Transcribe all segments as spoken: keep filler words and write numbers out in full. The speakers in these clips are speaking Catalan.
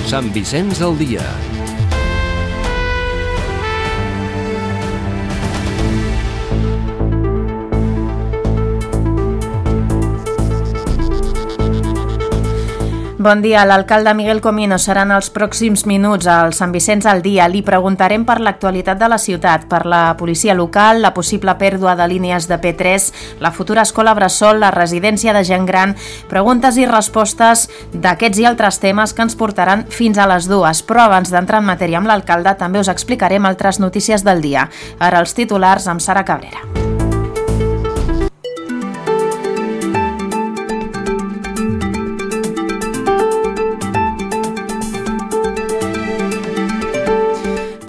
Sant Vicenç al dia. Bon dia. L'alcalde Miguel Comino serà en els pròxims minuts al Sant Vicenç al dia. Li preguntarem per l'actualitat de la ciutat, per la policia local, la possible pèrdua de línies de P tres, la futura escola bressol, la residència de gent gran, preguntes i respostes d'aquests i altres temes que ens portaran fins a les dues. Però abans d'entrar en matèria amb l'alcalde també us explicarem altres notícies del dia. Ara els titulars amb Sara Cabrera.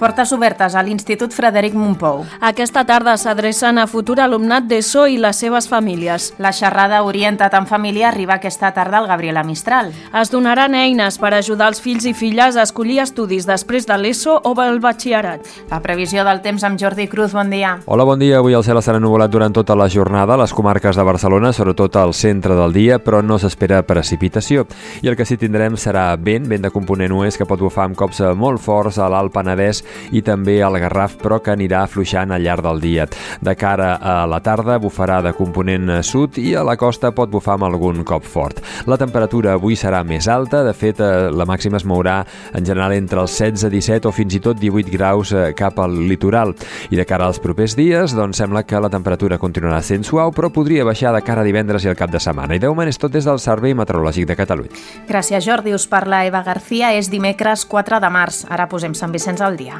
Portes obertes a l'Institut Frederic Mompou. Aquesta tarda s'adrecen a futur alumnat d'ESO i les seves famílies. La xerrada Orienta't en família arriba aquesta tarda al Gabriela Mistral. Es donaran eines per ajudar els fills i filles a escollir estudis després de l'ESO o el batxillerat. La previsió del temps amb Jordi Cruz, bon dia. Hola, bon dia. Avui el cel estarà ennuvolat durant tota la jornada a les comarques de Barcelona, sobretot al centre del dia, però no s'espera precipitació. I el que sí tindrem serà vent, vent de component oest que pot bufar amb cops molt forts a l'Alt Penedès i també al Garraf, però que anirà afluixant al llarg del dia. De cara a la tarda bufarà de component sud i a la costa pot bufar amb algun cop fort. La temperatura avui serà més alta, de fet la màxima es mourà en general entre els setze, disset o fins i tot divuit graus cap al litoral. I de cara als propers dies, doncs sembla que la temperatura continuarà sent suau, però podria baixar de cara a divendres i al cap de setmana. I de moment és tot des del Servei Meteorològic de Catalunya. Gràcies, Jordi. Us parla Eva García. És dimecres quatre de març. Ara posem Sant Vicenç al dia.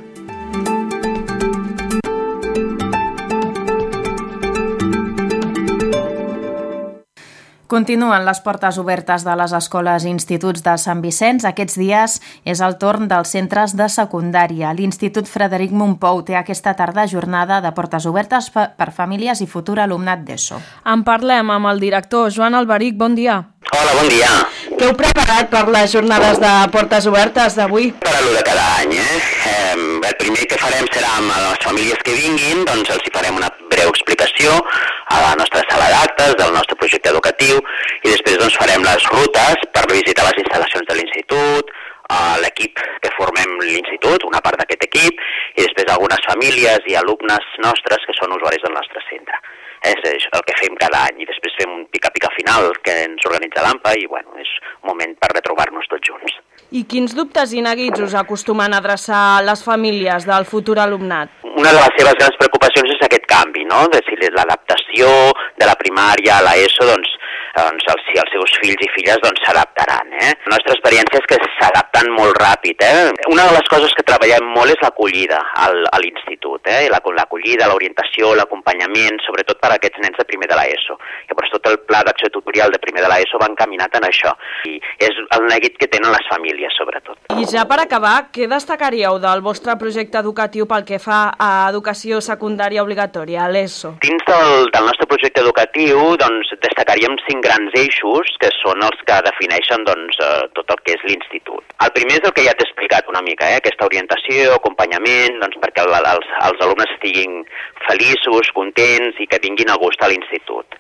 Continuen les portes obertes de les escoles i instituts de Sant Vicenç. Aquests dies és el torn dels centres de secundària. L'Institut Frederic Mompou té aquesta tarda jornada de portes obertes per famílies i futur alumnat d'ESO. En parlem amb el director Joan Alberic. Bon dia. Hola, bon dia. Què heu preparat per les jornades de portes obertes d'avui? Per a l'u de cada any, eh? eh? El primer que farem serà amb les famílies que vinguin, doncs els hi farem una breu explicació a la nostra sala d'actes del nostre projecte educatiu i després doncs farem les rutes per visitar les instal·lacions de l'institut, l'equip que formem l'institut, una part d'aquest equip, i després algunes famílies i alumnes nostres que són usuaris del nostre centre. És el que fem cada any i després fem un pica-pica final que ens organitza l'A M P A i bueno, és un moment per retrobar-nos tots junts. I quins dubtes i neguits us acostumen a adreçar les famílies del futur alumnat? Una de les seves grans preocupacions és aquest canvi, no? De si l'adaptació de la primària a l'ESO, doncs, doncs els, si els seus fills i filles doncs s'adaptaran, eh? La nostra experiència és que s'adapten molt ràpid, eh? Una de les coses que treballem molt és l'acollida al, a l'institut, eh? L'acollida, l'orientació, l'acompanyament, sobretot per a aquests nens de primer de l'ESO. Llavors tot el pla d'acció tutorial de primer de l'ESO va encaminat en això. I és el neguit que tenen les famílies, sobretot. I ja per acabar, què destacaríeu del vostre projecte educatiu pel que fa a educació secundària obligatòria, a l'ESO? Dins del, del nostre projecte educatiu, doncs, destacaríem cinc grans eixos que són els que defineixen doncs, tot el que és l'institut. El primer és el que ja t'he explicat una mica, eh? Aquesta orientació, acompanyament, doncs, perquè el, els, els alumnes estiguin feliços, contents i que vinguin a gust a l'institut.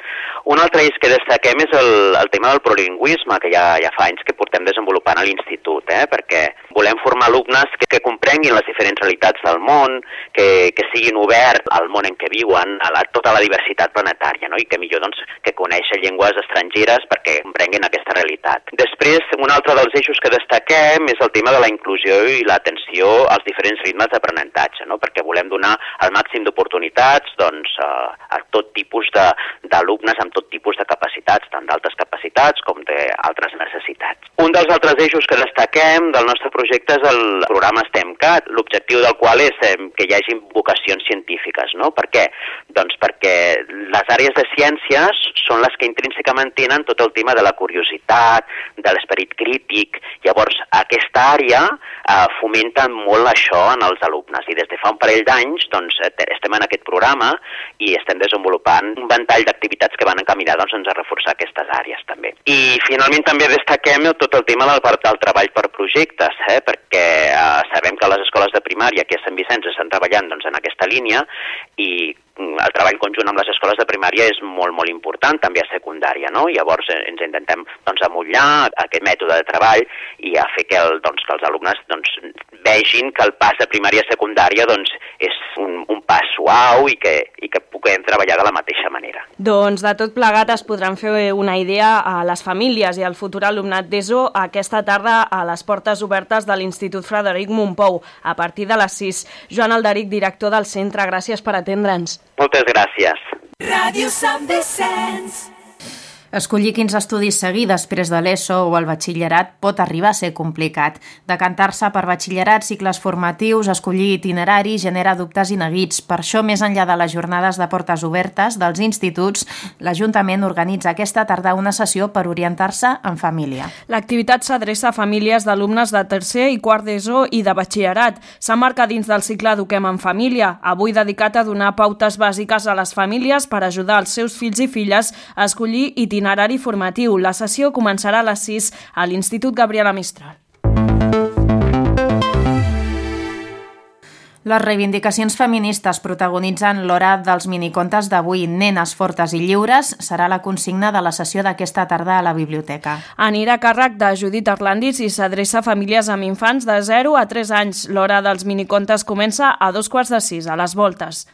Un altre eix que destaquem és el, el tema del plurilingüisme, que ja, ja fa anys que portem desenvolupant a l'institut, eh? Perquè volem formar alumnes que, que comprenguin les diferents realitats del món, que, que siguin oberts al món en què viuen, a la, tota la diversitat planetària, no? I que millor doncs, que coneixen llengües estrangeres perquè comprenguin aquesta realitat. Després, un altre dels eixos que destaquem és el tema de la inclusió i l'atenció als diferents ritmes d'aprenentatge, no? Perquè volem donar el màxim d'oportunitats doncs, a, a tot tipus d'alumnes amb tot tipus de capacitats, tant d'altes capacitats com d'altres necessitats. Un dels altres eixos que destaquem del nostre projecte és el programa STEMcat, l'objectiu del qual és que hi hagi vocacions científiques, no? Per què? Doncs perquè les àrees de ciències són les que intrínsecament tenen tot el tema de la curiositat, de l'esperit crític. Llavors, aquesta àrea eh, fomenta molt això en els alumnes i des de fa un parell d'anys doncs, estem en aquest programa i estem desenvolupant un ventall d'activitats que van encaminar doncs, a reforçar aquestes àrees també. I finalment també destaquem tot el tema del, del treball per projectes, eh, perquè eh, sabem que les escoles de primària aquí a Sant Vicenç estan treballant doncs, en aquesta línia i el treball conjunt amb les escoles de primària és molt, molt important, també a secundària, no? Llavors ens intentem doncs, amollar aquest mètode de treball i a fer que, el, doncs, que els alumnes doncs, vegin que el pas de primària a secundària doncs, és un, un pas suau i que, i que puguem treballar de la mateixa manera. Doncs de tot plegat es podran fer una idea a les famílies i al futur alumnat d'ESO aquesta tarda a les portes obertes de l'Institut Frederic Mompou a partir de les sis. Joan Alderic, director del centre, gràcies per atendre'ns. Moltes gràcies. Ràdio Sant Vicenç. Escollir quins estudis seguir després de l'ESO o el batxillerat pot arribar a ser complicat. Decantar-se per batxillerat, cicles formatius, escollir itinerari genera dubtes i neguits. Per això, més enllà de les jornades de portes obertes dels instituts, l'Ajuntament organitza aquesta tarda una sessió per orientar-se en família. L'activitat s'adreça a famílies d'alumnes de tercer i quart d'ESO i de batxillerat. S'emmarca dins del cicle Eduquem en Família, avui dedicat a donar pautes bàsiques a les famílies per ajudar els seus fills i filles a escollir itinerari itinerari formatiu. La sessió començarà a les sis a l'Institut Gabriela Mistral. Les reivindicacions feministes protagonitzen l'hora dels minicontes d'avui. Nenes fortes i lliures serà la consigna de la sessió d'aquesta tarda a la biblioteca. Anirà a càrrec de Judit Arlandis i s'adreça a famílies amb infants de zero a tres anys. L'hora dels minicontes comença a dos quarts de sis, a les Voltes.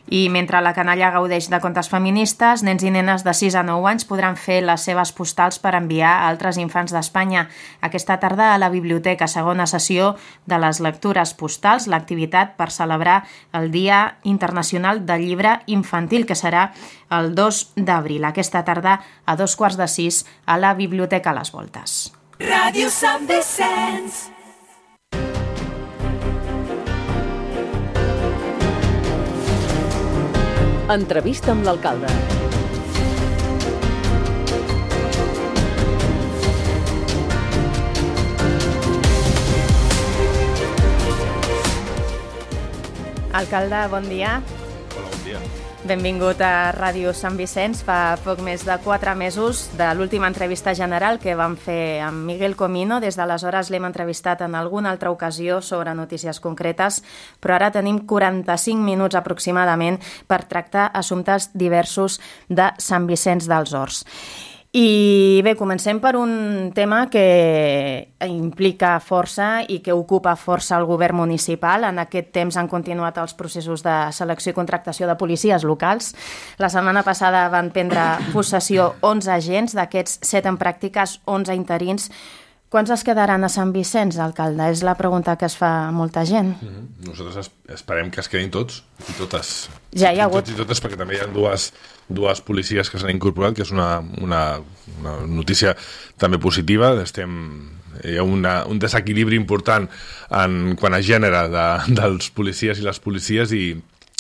I mentre la canalla gaudeix de contes feministes, nens i nenes de sis a nou anys podran fer les seves postals per enviar a altres infants d'Espanya. Aquesta tarda a la biblioteca, segona sessió de les lectures postals, l'activitat per celebrar el Dia Internacional del Llibre Infantil, que serà el dos d'abril. Aquesta tarda a dos quarts de sis a la biblioteca Les Voltes. Ràdio Sant Vicenç. Entrevista amb l'alcalde. Alcalde, bon dia. Hola, bon dia. Benvingut a Ràdio Sant Vicenç. Fa poc més de quatre mesos de l'última entrevista general que vam fer amb Miguel Comino. Des d'aleshores l'hem entrevistat en alguna altra ocasió sobre notícies concretes, però ara tenim quaranta-cinc minuts aproximadament per tractar assumptes diversos de Sant Vicenç dels Horts. I bé, comencem per un tema que implica força i que ocupa força el govern municipal. En aquest temps han continuat els processos de selecció i contractació de policies locals. La setmana passada van prendre possessió onze agents, d'aquests set en pràctiques, onze interins. Quants es quedaran a Sant Vicenç, alcalde? És la pregunta que es fa a molta gent. Mm-hmm. Nosaltres esperem que es quedin tots i totes. Ja hi ha hagut. Tots i totes, perquè també hi ha dues, dues policies que s'han incorporat, que és una, una, una notícia també positiva. Estem, hi ha una, un desequilibri important en quant a gènere de, dels policies i les policies i,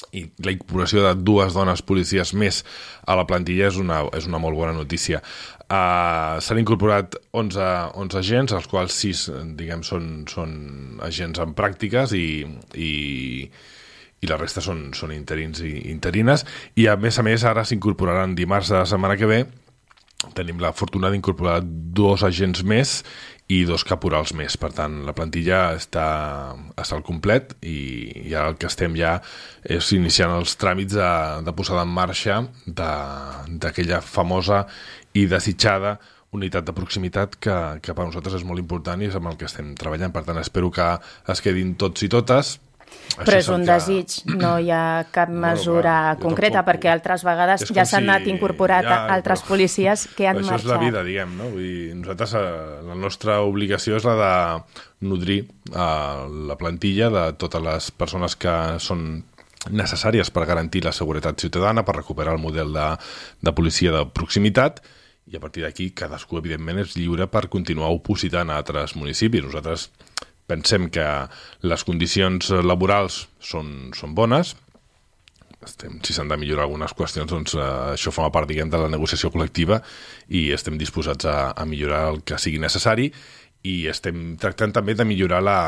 i la incorporació de dues dones policies més a la plantilla és una, és una molt bona notícia. Uh, s'han incorporat onze, onze agents, els quals sis diguem, són, són agents en pràctiques i, i, i la resta són, són interins i interines, i a més a més ara s'incorporaran dimarts de la setmana que ve. Tenim la fortuna d'incorporar dos agents més i dos caporals més. Per tant, la plantilla està, està al complet i, i ara el que estem ja és iniciant els tràmits de, de posada en marxa d'aquella famosa i desitjada unitat de proximitat que, que per nosaltres és molt important i és amb el que estem treballant. Per tant, espero que es quedin tots i totes. Però és un desig, no hi ha cap mesura no, clar, concreta, perquè altres vegades ja s'han si... anat incorporat ja, altres però... policies que han això marxat. Això és la vida, diguem, no? Vull dir, nosaltres, la nostra obligació és la de nodrir uh, la plantilla de totes les persones que són necessàries per garantir la seguretat ciutadana, per recuperar el model de, de policia de proximitat, i a partir d'aquí cadascú, evidentment, és lliure per continuar opositant a altres municipis. Nosaltres pensem que les condicions laborals són, són bones. Estem, si s'han de millorar algunes qüestions, doncs eh, això forma part, diguem, de la negociació col·lectiva i estem disposats a, a millorar el que sigui necessari i estem tractant també de millorar la,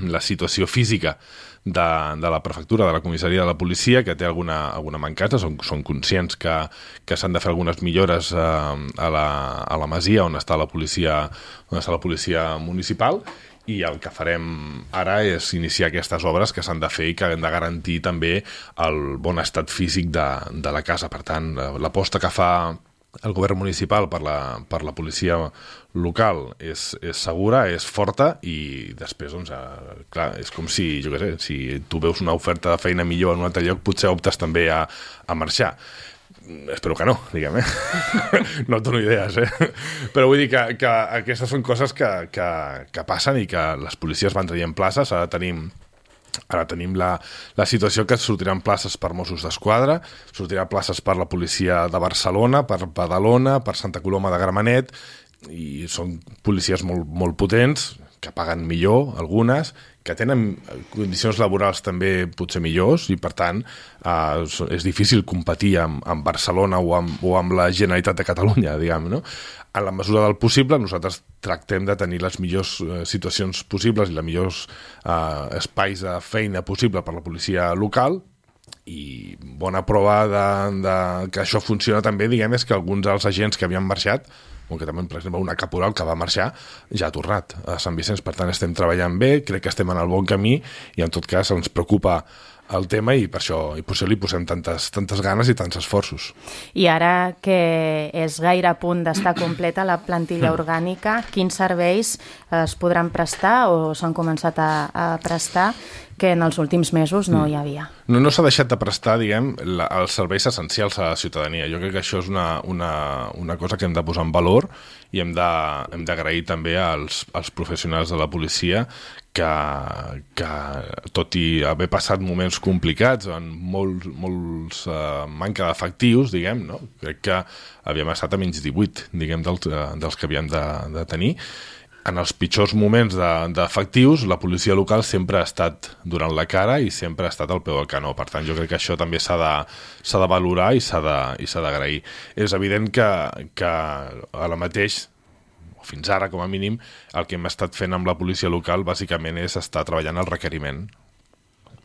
la situació física de, de la prefectura, de la comissaria de la policia, que té alguna, alguna mancança. Són, són conscients que, que s'han de fer algunes millores eh, a, la, a la masia on està la policia, on està la policia municipal, i el que farem ara és iniciar aquestes obres que s'han de fer i que han de garantir també el bon estat físic de, de la casa. Per tant, l'aposta que fa el govern municipal per la, per la policia local és, és segura, és forta, i després, doncs, eh, clar, és com si, jo què sé, si tu veus una oferta de feina millor en un altre lloc, potser optes també a, a marxar. Espero que no, diguem, eh? No et dono idees, eh? Però vull dir que, que aquestes són coses que, que, que passen i que les policies van traient places. Ara tenim Ara tenim la, la situació que sortiran places per Mossos d'Esquadra, sortiran places per la policia de Barcelona, per Badalona, per Santa Coloma de Gramenet, i són policies molt, molt potents, que paguen millor, algunes, que tenen condicions laborals també potser millors, i per tant eh, és difícil competir amb, amb Barcelona o amb, o amb la Generalitat de Catalunya, diguem, no? En la mesura del possible, nosaltres tractem de tenir les millors eh, situacions possibles i els millors eh, espais de feina possible per la policia local, i bona prova de, de que això funciona també, diguem, és que alguns dels agents que havien marxat, com que també, per exemple, una caporal que va marxar, ja ha tornat a Sant Vicenç. Per tant, estem treballant bé, crec que estem en el bon camí, i en tot cas ens preocupa el tema, i per això, i per això li posem tantes, tantes ganes i tants esforços. I ara que és gaire a punt d'estar completa la plantilla orgànica, quins serveis es podran prestar o s'han començat a, a prestar que en els últims mesos no hi havia? No, no s'ha deixat de prestar, diguem, la, els serveis essencials a la ciutadania. Jo crec que això és una, una, una cosa que hem de posar en valor, i hem de, hem d'agrair també als, als professionals de la policia que, que, tot i haver passat moments complicats, en molts, molts uh, manca d'efectius, diguem, no? Crec que havíem estat a menys divuit, diguem, dels, dels que havíem de, de tenir. En els pitjors moments d'efectius, de, la policia local sempre ha estat donant la cara i sempre ha estat al peu del canó. Per tant, jo crec que això també s'ha de, s'ha de valorar i s'ha d'agrair. És evident que, que ara mateix, o fins ara com a mínim, el que hem estat fent amb la policia local bàsicament és estar treballant el requeriment.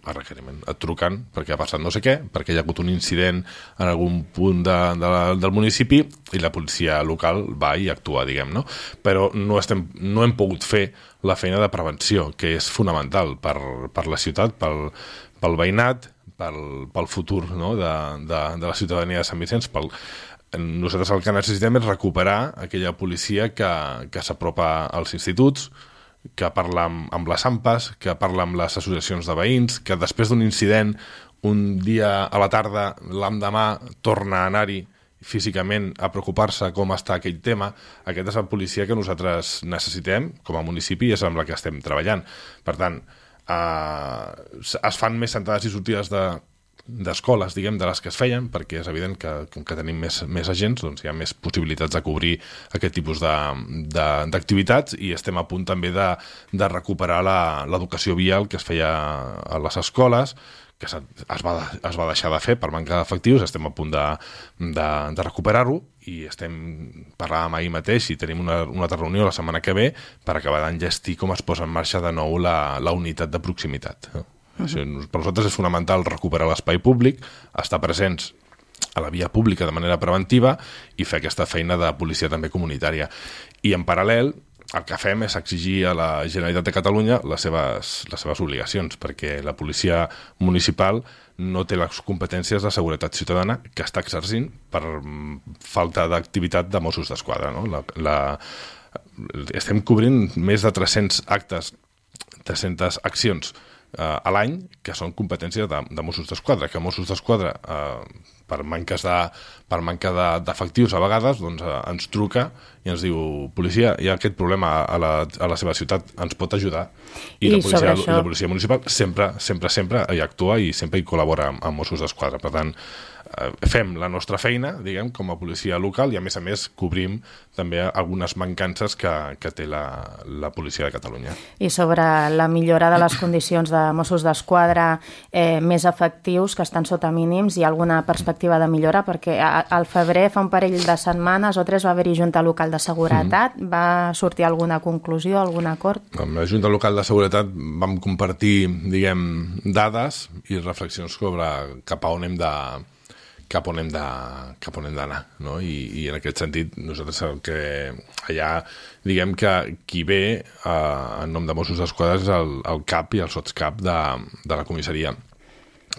El requeriment. Et truquen perquè ha passat no sé què, perquè hi ha hagut un incident en algun punt de, de, del municipi, i la policia local va i actua, diguem, no? Però no, estem, no hem pogut fer la feina de prevenció, que és fonamental per, per la ciutat, pel, pel veïnat, pel, pel futur, no? de, de, de la ciutadania de Sant Vicenç. Pel, nosaltres el que necessitem és recuperar aquella policia que, que s'apropa als instituts, que parla amb, amb les AMPAs, que parla amb les associacions de veïns, que després d'un incident, un dia a la tarda, l'endemà, torna a anar-hi físicament a preocupar-se com està aquell tema. Aquesta és la policia que nosaltres necessitem com a municipi, i és amb la que estem treballant. Per tant, eh, es fan més entrades i sortides de d'escoles, diguem, de les que es feien, perquè és evident que com que tenim més, més agents, doncs hi ha més possibilitats de cobrir aquest tipus d'activitats, i estem a punt també de, de recuperar l'educació vial que es feia a les escoles, que es va, es va deixar de fer per manca d'efectius. Estem a punt de, de, de recuperar-ho, i estem parlant ahir mateix i tenim una, una altra reunió la setmana que ve per acabar d'enllestir com es posa en marxa de nou la, la unitat de proximitat. Això, per nosaltres és fonamental recuperar l'espai públic, estar presents a la via pública de manera preventiva i fer aquesta feina de policia també comunitària. I en paral·lel, el que fem és exigir a la Generalitat de Catalunya les seves, les seves obligacions, perquè la policia municipal no té les competències de seguretat ciutadana que està exercint per falta d'activitat de Mossos d'Esquadra. No? La, la, estem cobrint més de tres-cents actes, tres-centes accions Uh, a l'any, que són competències de, de Mossos d'Esquadra, que Mossos d'Esquadra uh, per manques de, per manca d'efectius a vegades, doncs, uh, ens truca i ens diu: policia, hi ha aquest problema a la, a la seva ciutat, ens pot ajudar? I, I, la, policia, això... la policia municipal sempre, sempre, sempre hi actua i sempre hi col·labora amb, amb Mossos d'Esquadra. Per tant, uh, fem la nostra feina, diguem, com a policia local, i a més a més cobrim també algunes mancances que, que té la, la policia de Catalunya. I sobre la millora de les condicions de Mossos d'Esquadra, eh, més efectius que estan sota mínims, hi ha alguna perspectiva de millora? Perquè al febrer, fa un parell de setmanes o tres, va haver-hi Junta Local de Seguretat. Mm. Va sortir alguna conclusió, algun acord? Amb la Junta Local de Seguretat vam compartir, diguem, dades i reflexions sobre cap a on hem de cap on hem de, cap on hem d'anar, no? I, i en aquest sentit nosaltres el que allà diguem que qui ve eh, en nom de Mossos d'Esquadra és el, el cap i el sotscap de, de la comissaria,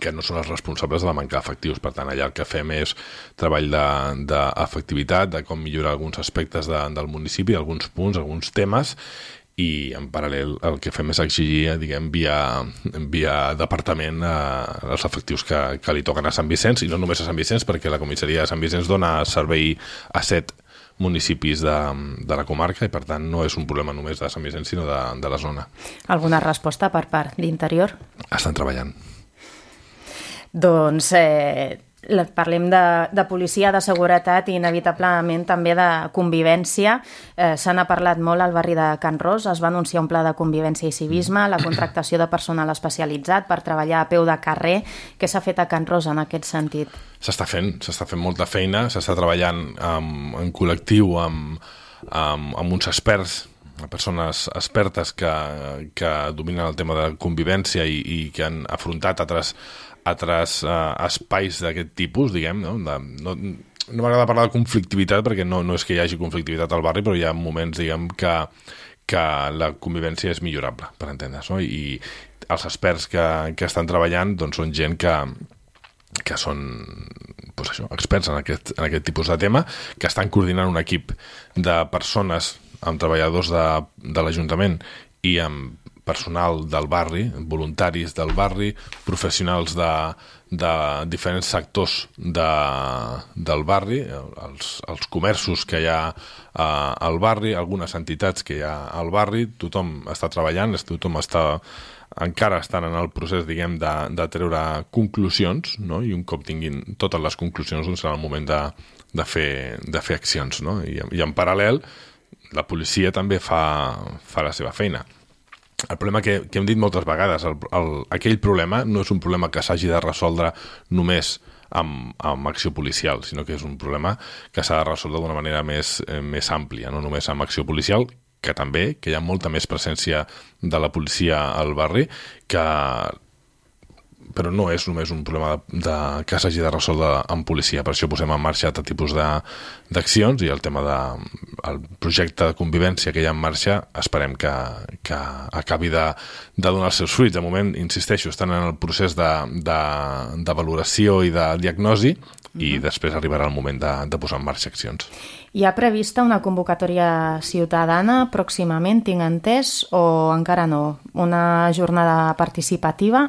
que no són els responsables de la manca d'efectius. Per tant, allà el que fem és treball d'efectivitat, de, de com millorar alguns aspectes de, del municipi, alguns punts, alguns temes, i en paral·lel el que fem és exigir, diguem, via, via departament eh, els efectius que, que li toquen a Sant Vicenç, i no només a Sant Vicenç, perquè la comissaria de Sant Vicenç dona servei a set municipis de, de la comarca, i per tant no és un problema només de Sant Vicenç, sinó de, de la zona. Alguna resposta per part d'Interior? Estan treballant. Doncs eh, parlem de, de policia, de seguretat i inevitablement també de convivència. Eh, se n'ha parlat molt al barri de Can Ros, es va anunciar un pla de convivència i civisme, la contractació de personal especialitzat per treballar a peu de carrer. Què s'ha fet a Can Ros en aquest sentit? S'està fent, s'està fent molta feina, s'està treballant amb, en col·lectiu amb, amb, amb uns experts, persones expertes que, que dominen el tema de convivència i, i que han afrontat altres altres uh, espais d'aquest tipus, diguem, no? De, no, no m'agrada parlar de conflictivitat perquè no, no és que hi hagi conflictivitat al barri, però hi ha moments, diguem, que, que la convivència és millorable, per entendre's, no? I els experts que, que estan treballant doncs, són gent que, que són doncs això, experts en aquest, en aquest tipus de tema, que estan coordinant un equip de persones amb treballadors de, de l'Ajuntament i amb personal del barri, voluntaris del barri, professionals de, de diferents sectors de, del barri, els, els comerços que hi ha eh, al barri, algunes entitats que hi ha al barri, tothom està treballant, tothom està, encara estan en el procés, diguem, de, de treure conclusions, no? I un cop tinguin totes les conclusions, doncs serà el moment de, de, fer, de fer accions, no? I, i en paral·lel, la policia també fa, fa la seva feina. El problema que, que hem dit moltes vegades, el, el, aquell problema no és un problema que s'hagi de resoldre només amb, amb acció policial, sinó que és un problema que s'ha de resoldre d'una manera més, eh, més àmplia, no només amb acció policial, que també, que hi ha molta més presència de la policia al barri, que però no és només un problema de, de, que s'hagi de resoldre amb policia. Per això posem en marxa altre tipus d'accions i el tema de, el projecte de convivència que hi ha en marxa esperem que, que acabi de, de donar els seus fruits. De moment, insisteixo, estan en el procés de, de, de valoració i de diagnosi i uh-huh. després arribarà el moment de, de posar en marxa accions. Hi ha prevista una convocatòria ciutadana pròximament, tinc entès, o encara no? Una jornada participativa?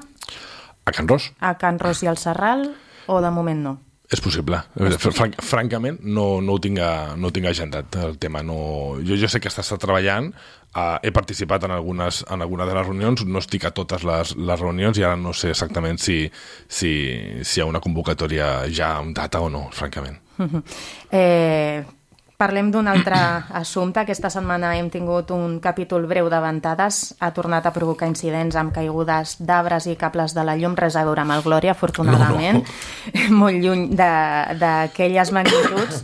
A Can Ros? A Can Ros i al Serral, o de moment no? És possible. Franc, francament, no, no, ho tinc, no ho tinc agendat, el tema. No, jo, jo sé que està treballant, uh, he participat en algunes, en algunes de les reunions, no estic a totes les, les reunions i ara no sé exactament si, si, si hi ha una convocatòria ja amb data o no, francament. Uh-huh. Eh... Parlem d'un altre assumpte. Aquesta setmana hem tingut un capítol breu de ventades. Ha tornat a provocar incidents amb caigudes d'arbres i cables de la llum. Res a veure amb el Glòria, afortunadament. No, no. Molt lluny d'aquelles magnituds.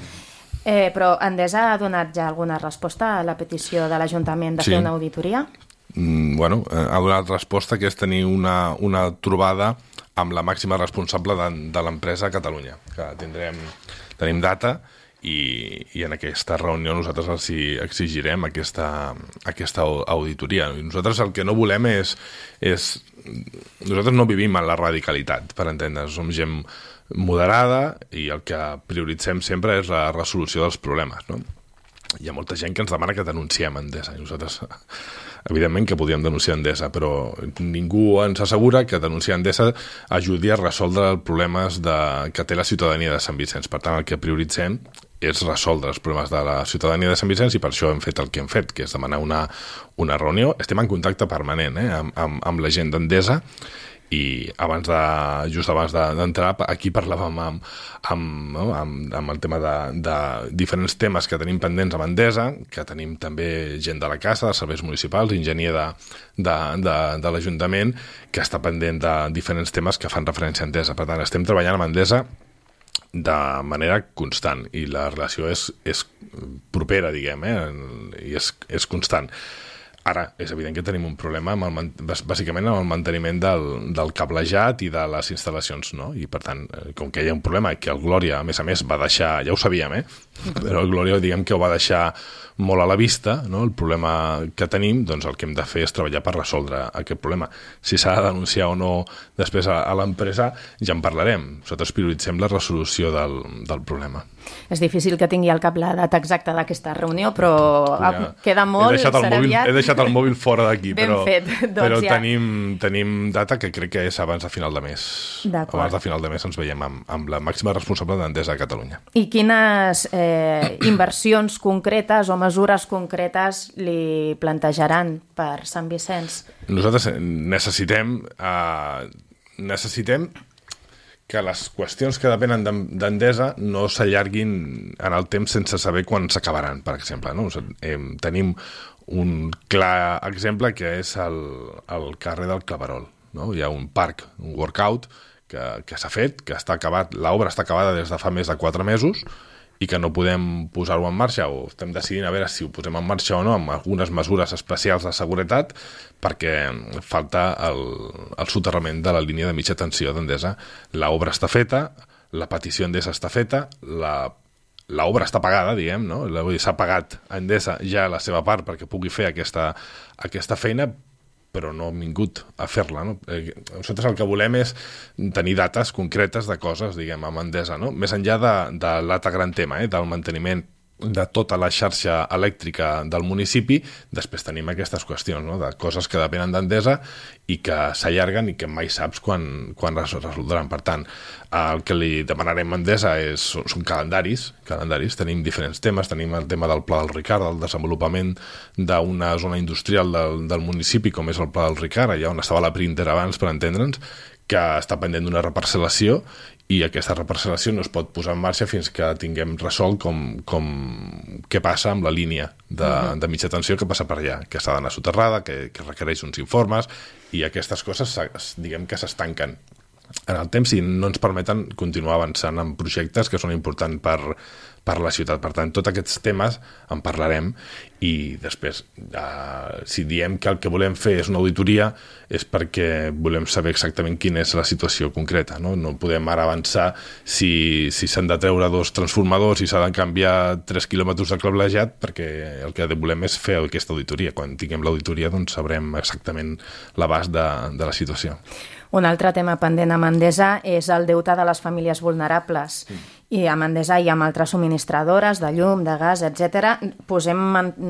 Eh, però Endesa ha donat ja alguna resposta a la petició de l'Ajuntament de sí. fer una auditoria? Mm, bueno, ha donat resposta, que és tenir una, una trobada amb la màxima responsable de, de l'empresa a Catalunya, que tindrem, tenim data. I, i en aquesta reunió nosaltres els exigirem aquesta, aquesta auditoria. I nosaltres el que no volem és, és... Nosaltres no vivim en la radicalitat, per entendre's. Som gent moderada i el que prioritzem sempre és la resolució dels problemes, no? Hi ha molta gent que ens demana que denunciem Endesa i nosaltres, evidentment que podíem denunciar Endesa, però ningú ens assegura que denunciar Endesa ajudi a resoldre els problemes de, que té la ciutadania de Sant Vicenç. Per tant, el que prioritzem és resoldre els problemes de la ciutadania de Sant Vicenç i per això hem fet el que hem fet, que és demanar una, una reunió. Estem en contacte permanent eh, amb, amb, amb la gent d'Endesa i abans de, just abans d'entrar de, aquí parlàvem amb, amb, no, amb, amb el tema de, de diferents temes que tenim pendents amb Endesa, que tenim també gent de la casa, de serveis municipals, enginyer de, de, de, de l'Ajuntament, que està pendent de diferents temes que fan referència a Endesa. Per tant, estem treballant amb Endesa de manera constant i la relació és, és propera, diguem, eh? I és, és constant. Ara, és evident que tenim un problema amb el, bàsicament amb el manteniment del, del cablejat i de les instal·lacions, no? I per tant, com que hi ha un problema que el Glòria, a més a més, va deixar, ja ho sabíem, eh? Però el Glòria, diguem que ho va deixar molt a la vista, no? El problema que tenim, doncs el que hem de fer és treballar per resoldre aquest problema. Si s'ha de denunciar o no després a, a l'empresa, ja en parlarem. Nosaltres prioritzem la resolució del, del problema. És difícil que tingui al cap la data exacta d'aquesta reunió, però ja, queda molt, serà mòbil, aviat. He deixat el mòbil fora d'aquí, però, doncs però ja. tenim, tenim data que crec que és abans de final de mes. Abans de final de mes ens veiem amb, amb la màxima responsable d'Endesa a Catalunya. I quines eh, inversions concretes o mesures concretes li plantejaran per Sant Vicenç? Nosaltres necessitem... Eh, necessitem que les qüestions que depenen d'Endesa no s'allarguin en el temps sense saber quan s'acabaran, per exemple. No? O sigui, eh, tenim un clar exemple que és el, el carrer del Claverol. No? Hi ha un parc, un workout, que, que s'ha fet, que està acabat, l'obra està acabada des de fa més de quatre mesos, i que no podem posar-ho en marxa, o estem decidint a veure si ho posem en marxa o no, amb algunes mesures especials de seguretat, perquè falta el, el soterrament de la línia de mitja tensió d'Endesa. L'obra està feta, la petició Endesa està feta, la l'obra està pagada, diguem, no? S'ha pagat a Endesa ja la seva part perquè pugui fer aquesta, aquesta feina, però no hem vingut a fer-la. No? Eh, nosaltres el que volem és tenir dates concretes de coses, diguem, amb Endesa, no? Més enllà de, de l'altre gran tema, eh, del manteniment de tota la xarxa elèctrica del municipi, després tenim aquestes qüestions, no? De coses que depenen d'Endesa i que s'allarguen i que mai saps quan, quan es resoldran. Per tant, el que li demanarem a Endesa és, són calendaris, calendaris, tenim diferents temes, tenim el tema del Pla del Ricard, el desenvolupament d'una zona industrial del, del municipi, com és el Pla del Ricard, allà on estava la Printer abans, per entendre'ns, que està pendent d'una reparcel·lació, i aquesta reparcel·lació no es pot posar en marxa fins que tinguem resolt com, com què passa amb la línia de, uh-huh. de mitja tensió que passa per allà, que s'ha d'anar soterrada, que, que requereix uns informes, i aquestes coses, diguem que s'estanquen en el temps i no ens permeten continuar avançant en projectes que són importants per, per la ciutat. Per tant, tots aquests temes en parlarem i després, eh, si diem que el que volem fer és una auditoria, és perquè volem saber exactament quina és la situació concreta. No, no podem ara avançar si si s'han de treure dos transformadors i s'ha de canviar tres quilòmetres de cablejat, perquè el que volem és fer aquesta auditoria. Quan tinguem l'auditoria doncs sabrem exactament l'abast de, de la situació. Un altre tema pendent amb Endesa és el deute de les famílies vulnerables. Mm. I amb Endesa i amb altres subministradores de llum, de gas, etcètera. Posem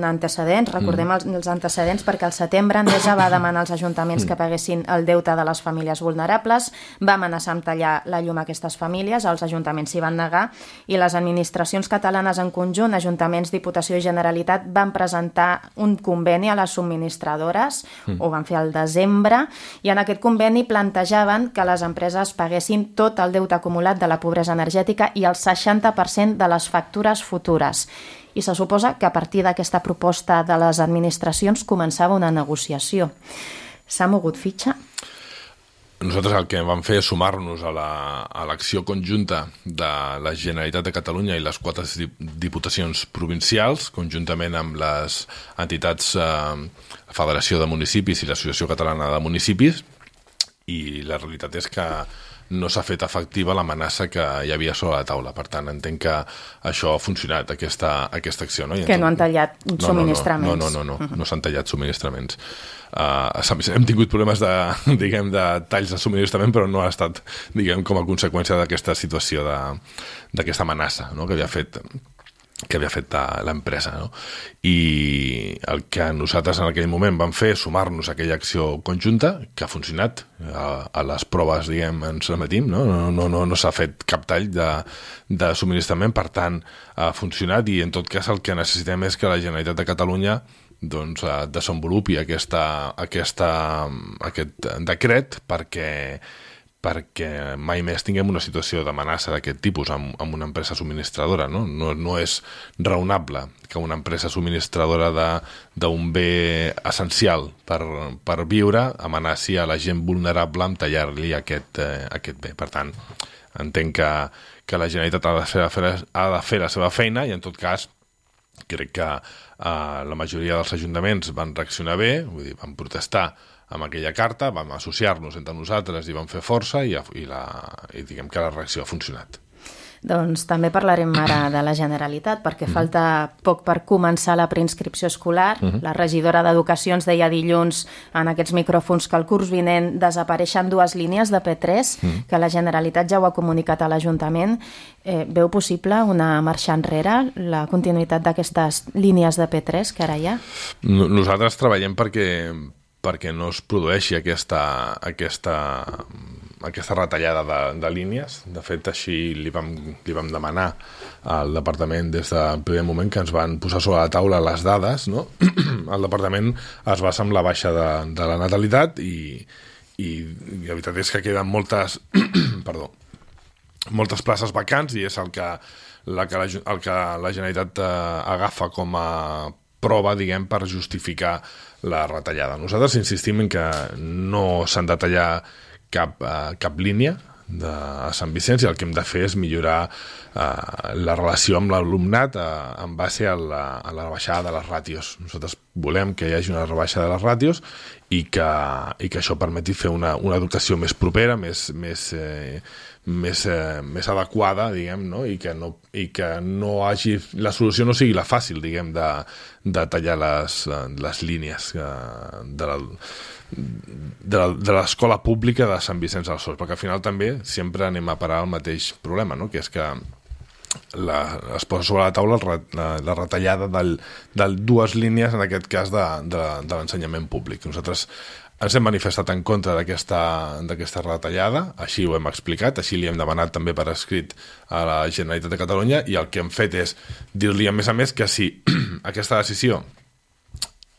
antecedents, recordem mm. els, els antecedents, perquè al setembre Endesa va demanar als ajuntaments mm. que paguessin el deute de les famílies vulnerables, va amenaçar amb tallar la llum a aquestes famílies, els ajuntaments s'hi van negar, i les administracions catalanes en conjunt, ajuntaments, Diputació i Generalitat, van presentar un conveni a les subministradores, mm. ho van fer al desembre, i en aquest conveni plantejaven que les empreses paguessin tot el deute acumulat de la pobresa energètica i el seixanta per cent de les factures futures. I se suposa que a partir d'aquesta proposta de les administracions començava una negociació. S'ha mogut fitxa? Nosaltres el que vam fer és sumar-nos a l'acció la, conjunta de la Generalitat de Catalunya i les quatre diputacions provincials, conjuntament amb les entitats eh, Federació de Municipis i l'Associació Catalana de Municipis, i la realitat és que no s'ha fet efectiva l'amenaça que hi havia sobre la taula. Per tant, entenc que això ha funcionat, aquesta, aquesta acció. No? Que no han tallat subministraments. No, no, no, no, no, no, no s'han tallat subministraments. Uh, hem tingut problemes de, diguem, de talls de subministrament, però no ha estat, diguem, com a conseqüència d'aquesta situació, d'aquesta amenaça, no? que havia fet que havia fet l'empresa. No? I el que nosaltres en aquell moment vam fer és sumar-nos a aquella acció conjunta, que ha funcionat, a, a les proves, diguem, ens remetim, no, no, no, no, no s'ha fet cap tall de, de subministrament, per tant, ha funcionat, i en tot cas el que necessitem és que la Generalitat de Catalunya doncs, desenvolupi aquesta, aquesta, aquest decret perquè perquè mai més tinguem una situació d'amenaça d'aquest tipus amb, amb una empresa subministradora. No? No, no és raonable que una empresa subministradora d'un bé essencial per, per viure amenaci a la gent vulnerable amb tallar-li aquest, eh, aquest bé. Per tant, entenc que, que la Generalitat ha de, fer, ha de fer la seva feina i, en tot cas, crec que eh, la majoria dels ajuntaments van reaccionar bé, vull dir, van protestar amb aquella carta, vam associar-nos entre nosaltres i vam fer força i, i, la, i diguem que la reacció ha funcionat. Doncs també parlarem ara de la Generalitat, perquè mm. falta poc per començar la preinscripció escolar. Mm-hmm. La regidora d'Educació ens deia dilluns en aquests micròfons que el curs vinent desapareixen dues línies de P tres, mm. que la Generalitat ja ho ha comunicat a l'Ajuntament. Eh, veu possible una marxa enrere, la continuïtat d'aquestes línies de P tres que ara hi ha? Nosaltres treballem perquè, perquè no es produeixi aquesta... aquesta... aquesta retallada de, de línies. De fet, així li vam, li vam demanar al departament des del primer moment que ens van posar sobre la taula les dades, no? El departament es basa en la baixa de, de la natalitat i, i, i la veritat és que queden moltes perdó, moltes places vacants i és el que la, que la, el que la Generalitat eh, agafa com a prova, diguem, per justificar la retallada. Nosaltres insistim en que no s'han de tallar cap, uh, cap línia de a Sant Vicenç i el que hem de fer és millorar uh, la relació amb l'alumnat uh, en base a la, a la baixada de les ràtios. Nosaltres volem que hi hagi una rebaixa de les ràtios i que, i que això permeti fer una, una educació més propera, més, més, eh, més, eh, més adequada, diguem, no? I que no, i que no hagi... La solució no sigui la fàcil, diguem, de, de tallar les, les línies uh, de la... de l'escola pública de Sant Vicenç dels Horts, perquè al final també sempre anem a parar el mateix problema, no? Que és que la, es posa sobre la taula la, la retallada del, de dues línies, en aquest cas de, de, de l'ensenyament públic. Nosaltres ens hem manifestat en contra d'aquesta d'aquesta retallada, així ho hem explicat, així li hem demanat també per escrit a la Generalitat de Catalunya i el que hem fet és dir-li a més a més que si aquesta decisió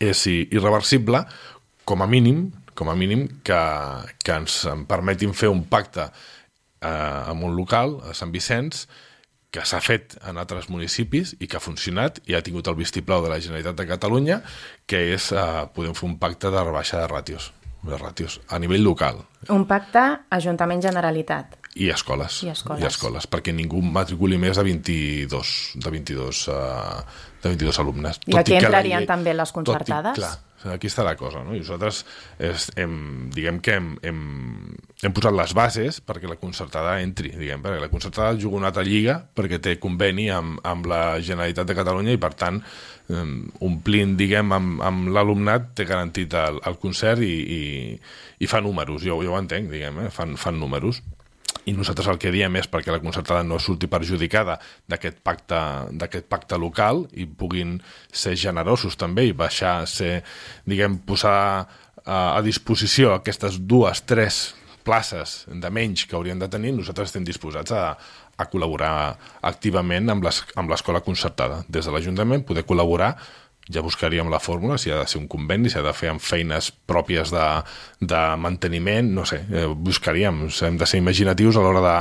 és irreversible, com a mínim, com a mínim que, que ens permetin fer un pacte eh, amb un local, a Sant Vicenç, que s'ha fet en altres municipis i que ha funcionat i ha tingut el vistiplau de la Generalitat de Catalunya, que és, eh, podem fer un pacte de rebaixa de ràtios, de ràtios a nivell local. Un pacte Ajuntament-Generalitat. I escoles. I escoles. I escoles, perquè ningú matriculi més de vint-i-dos, de vint-i-dos, uh, de vint-i-dos alumnes. I aquí entrarien llei, també les concertades? Tot i, clar, aquí està la cosa, no? I nosaltres és, hem, diguem que hem, hem, hem posat les bases perquè la concertada entri, diguem, perquè la concertada juga una altra lliga perquè té conveni amb, amb la Generalitat de Catalunya i per tant um, omplint, diguem, amb, amb l'alumnat té garantit el, el concert i, i, i fa números, jo, jo ho entenc, diguem, eh? fan, fan números. I nosaltres el que diem és perquè la concertada no surti perjudicada d'aquest pacte, d'aquest pacte local i puguin ser generosos també i baixar, ser, diguem, posar a disposició aquestes dues, tres places de menys que haurien de tenir, nosaltres estem disposats a, a col·laborar activament amb l'escola concertada. Des de l'Ajuntament poder col·laborar, ja buscaríem la fórmula, si ha de ser un conveni, si ha de fer amb feines pròpies de, de manteniment, no sé, eh, buscaríem, hem de ser imaginatius a l'hora de,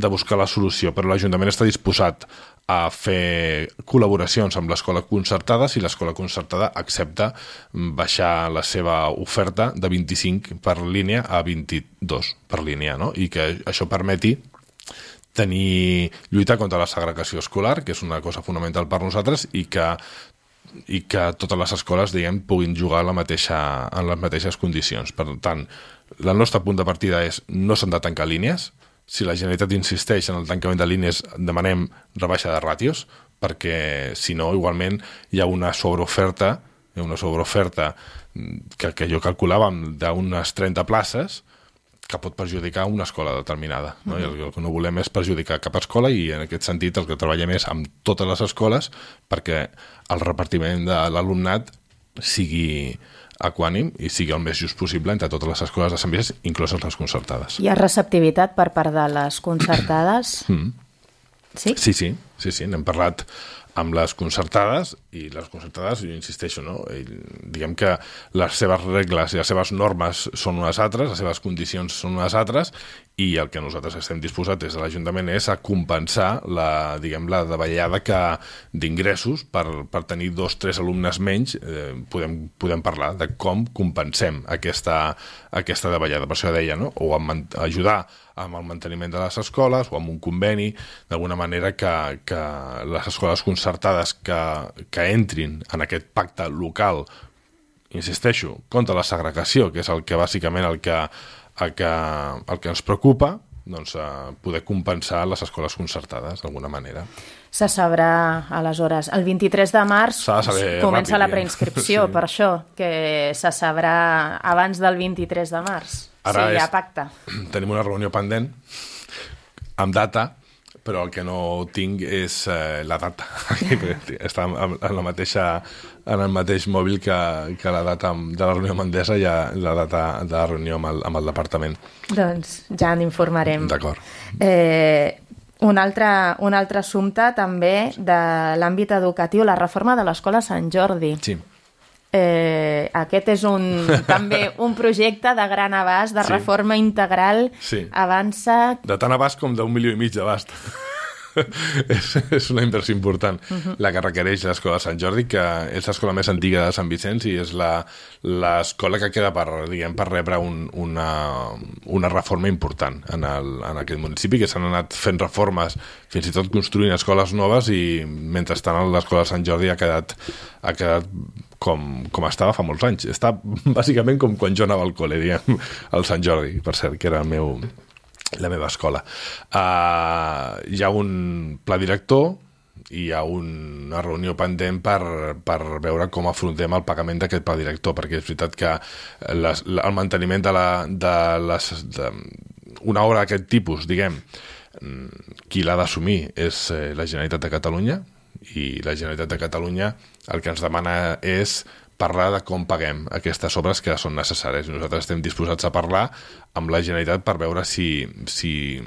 de buscar la solució, però l'Ajuntament està disposat a fer col·laboracions amb l'escola concertada si l'escola concertada accepta baixar la seva oferta de vint-i-cinc per línia a vint-i-dos per línia, no? I que això permeti tenir, lluitar contra la segregació escolar, que és una cosa fonamental per nosaltres, i que i que totes les escoles, diguem, puguin jugar la mateixa, en les mateixes condicions. Per tant, el nostre punt de partida és no s'han de tancar línies. Si la Generalitat insisteix en el tancament de línies, demanem rebaixa de ràtios, perquè si no, igualment hi ha una sobreoferta, hi ha una sobreoferta que, que jo calculava d'unes trenta places, que pot perjudicar una escola determinada, no? I el, el que no volem és perjudicar cap escola i en aquest sentit el que treballem és amb totes les escoles perquè el repartiment de l'alumnat sigui equànim i sigui el més just possible entre totes les escoles de Sant Vicenç, incloses les concertades. Hi ha receptivitat per part de les concertades? Mm. Sí? Sí, sí, sí, sí, n'hem parlat amb les concertades i les concertades, jo insisteixo, no? I diguem que les seves regles i les seves normes són unes altres, les seves condicions són unes altres i el que nosaltres estem disposats des de l'Ajuntament és a compensar la, diguem, la davallada que d'ingressos per, per tenir dos, tres alumnes menys, eh, podem, podem parlar de com compensem aquesta, aquesta davallada. Per això deia, no? O amb, ajudar amb el manteniment de les escoles o amb un conveni, d'alguna manera que, que les escoles concertades que, que entrin en aquest pacte local, insisteixo, contra la segregació, que és el que bàsicament el que, el que, el que ens preocupa, doncs, eh, poder compensar les escoles concertades d'alguna manera. Se sabrà, aleshores, el vint-i-tres de març comença ràpid, la preinscripció, sí. Per això, que se sabrà abans del vint-i-tres de març, ara si hi ha és, pacte. Tenim una reunió pendent, amb data, però el que no tinc és eh, la data. Està en, en, la mateixa, en el mateix mòbil que, que la data de la reunió amb Endesa i la data de la reunió amb el, amb el departament. Doncs ja en informarem. D'acord. Eh, un, altre, un altre assumpte també de l'àmbit educatiu, la reforma de l'Escola Sant Jordi. Sí. Eh, aquest és un, també un projecte de gran abast, de sí. reforma integral, sí. avança... De tant abast com d'un milió i mig d'abast. és, és una inversió important, uh-huh. la que requereix l'Escola de Sant Jordi, que és l'escola més antiga de Sant Vicenç i és l'escola que queda per, diguem, per rebre un, una, una reforma important en, el, en aquest municipi, que s'han anat fent reformes, fins i tot construint escoles noves, i mentrestant l'escola de Sant Jordi ha quedat, ha quedat com, com estava fa molts anys. Està bàsicament com quan jo anava al col·le, diguem, al Sant Jordi, per cert, que era el meu... la meva escola. Uh, hi ha un pla director i hi ha una reunió pendent per, per veure com afrontem el pagament d'aquest pla director, perquè és veritat que les, el manteniment de, la, de, les, de una obra d'aquest tipus, diguem, qui l'ha d'assumir és la Generalitat de Catalunya, i la Generalitat de Catalunya el que ens demana és parlar de com paguem aquestes obres que són necessàries. Nosaltres estem disposats a parlar amb la Generalitat per veure si, si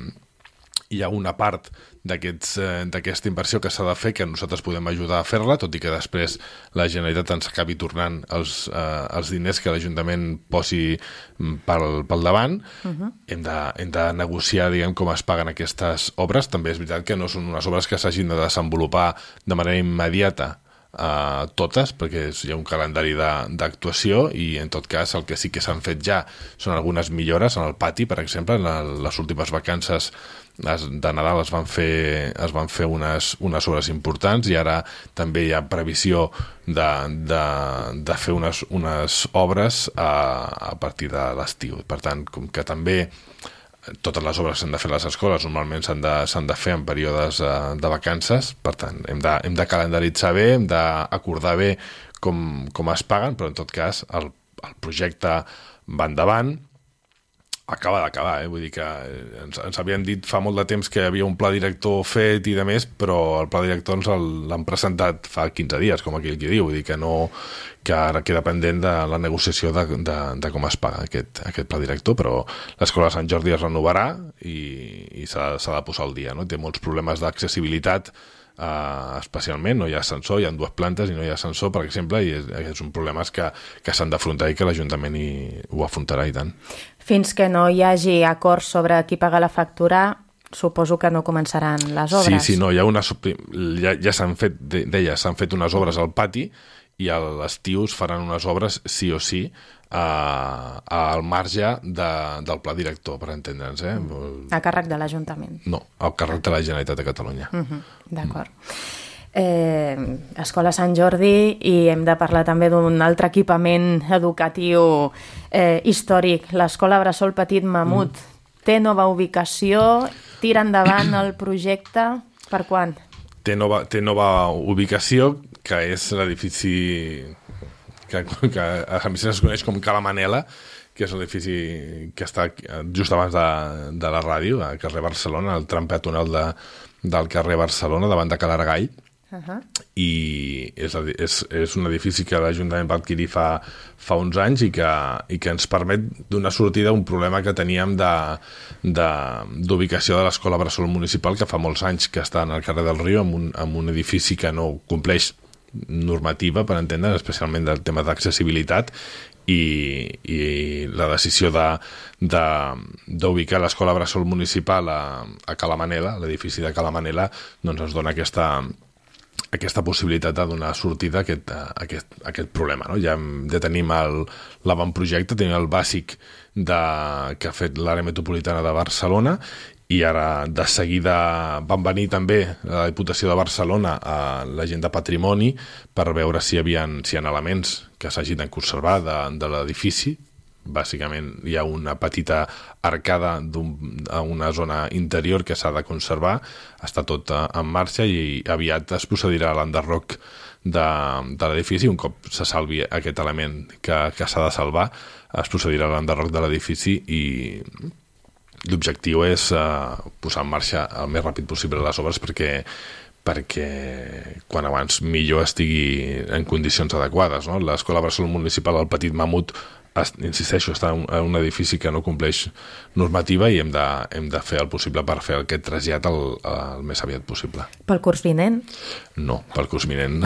hi ha una part d'aquesta inversió que s'ha de fer que nosaltres podem ajudar a fer-la, tot i que després la Generalitat ens acabi tornant els, eh, els diners que l'Ajuntament posi pel, pel davant. Uh-huh. hem, de, hem de negociar, diguem, com es paguen aquestes obres. També és veritat que no són unes obres que s'hagin de desenvolupar de manera immediata, Uh, totes, perquè hi ha un calendari d'actuació, i en tot cas el que sí que s'han fet ja són algunes millores en el pati, per exemple. En la, les últimes vacances de Nadal es van fer, es van fer unes, unes obres importants, i ara també hi ha previsió de, de, de fer unes, unes obres a, a partir de l'estiu. Per tant, com que també totes les obres s'han de fer a les escoles, normalment s'han de, s'han de fer en períodes uh, de vacances, per tant, hem de, hem de calendaritzar bé, hem d'acordar bé com, com es paguen, però en tot cas el, el projecte va endavant, acaba d'acabar, eh? Vull dir que ens, ens havien dit fa molt de temps que hi havia un pla director fet i de més, però el pla director ens l'han presentat fa quinze dies, com aquell qui diu, vull dir que no, que ara queda pendent de la negociació de, de, de com es paga aquest, aquest pla director, però l'Escola de Sant Jordi es renovarà i, i s'ha, s'ha de posar al dia, no? Té molts problemes d'accessibilitat, Uh, especialment, no hi ha ascensor, hi ha dues plantes i no hi ha ascensor, per exemple, i és, és un problema que, que s'han d'afrontar i que l'Ajuntament hi, ho afrontarà, i tant. Fins que no hi hagi acord sobre qui paga la factura, suposo que no començaran les obres. Sí, sí, no, hi ha una, ja, ja s'han fet, deia, s'han fet unes obres al pati, i a l'estiu es faran unes obres sí o sí Uh, al marge de, del pla director, per entendre'ns. Eh? A càrrec de l'Ajuntament? No, al càrrec de la Generalitat de Catalunya. Uh-huh. D'acord. Eh, Escola Sant Jordi, i hem de parlar també d'un altre equipament educatiu eh, històric, l'Escola Bressol Petit Mamut. Mm. Té nova ubicació, tira endavant el projecte, per quan? Té nova, té nova ubicació, que és l'edifici que, que a Sant Vicenç es coneix com Cala Manela, que és l'edifici que està just abans de, de la ràdio, al carrer Barcelona, al tram peatonal de, del carrer Barcelona, davant de Cal Aragall. Uh-huh. I és, és, és un edifici que l'Ajuntament va adquirir fa, fa uns anys i que, i que ens permet donar sortida a un problema que teníem d'ubicació de, de l'Escola Bressol Municipal, que fa molts anys que està en el carrer del Riu, amb un, amb un edifici que no compleix normativa, per entendre, especialment del tema d'accessibilitat, i, i la decisió de, de, d'ubicar l'Escola Bressol Municipal a, a Cala Manela, l'edifici de Cala Manela, doncs ens dona aquesta aquesta possibilitat de donar sortida a aquest, a aquest, a aquest problema. No? Ja, ja tenim l'avantprojecte, tenim el bàsic de, que ha fet l'àrea metropolitana de Barcelona, i ara de seguida van venir també a la Diputació de Barcelona a la gent de patrimoni per veure si hi havia, si hi ha elements que s'hagin de conservar de, de l'edifici. Bàsicament hi ha una petita arcada un, a una zona interior que s'ha de conservar, està tot en marxa i aviat es procedirà a l'enderroc de, de l'edifici. Un cop se salvi aquest element que, que s'ha de salvar, es procedirà a l'enderroc de l'edifici i l'objectiu és uh, posar en marxa el més ràpid possible les obres perquè perquè quan abans millor estigui en condicions adequades. No? L'Escola Bressol Municipal, el Petit Mamut, insisteixo, està en un edifici que no compleix normativa i hem de, hem de fer el possible per fer aquest trasllat el, el més aviat possible. Pel curs vinent? No, pel curs vinent.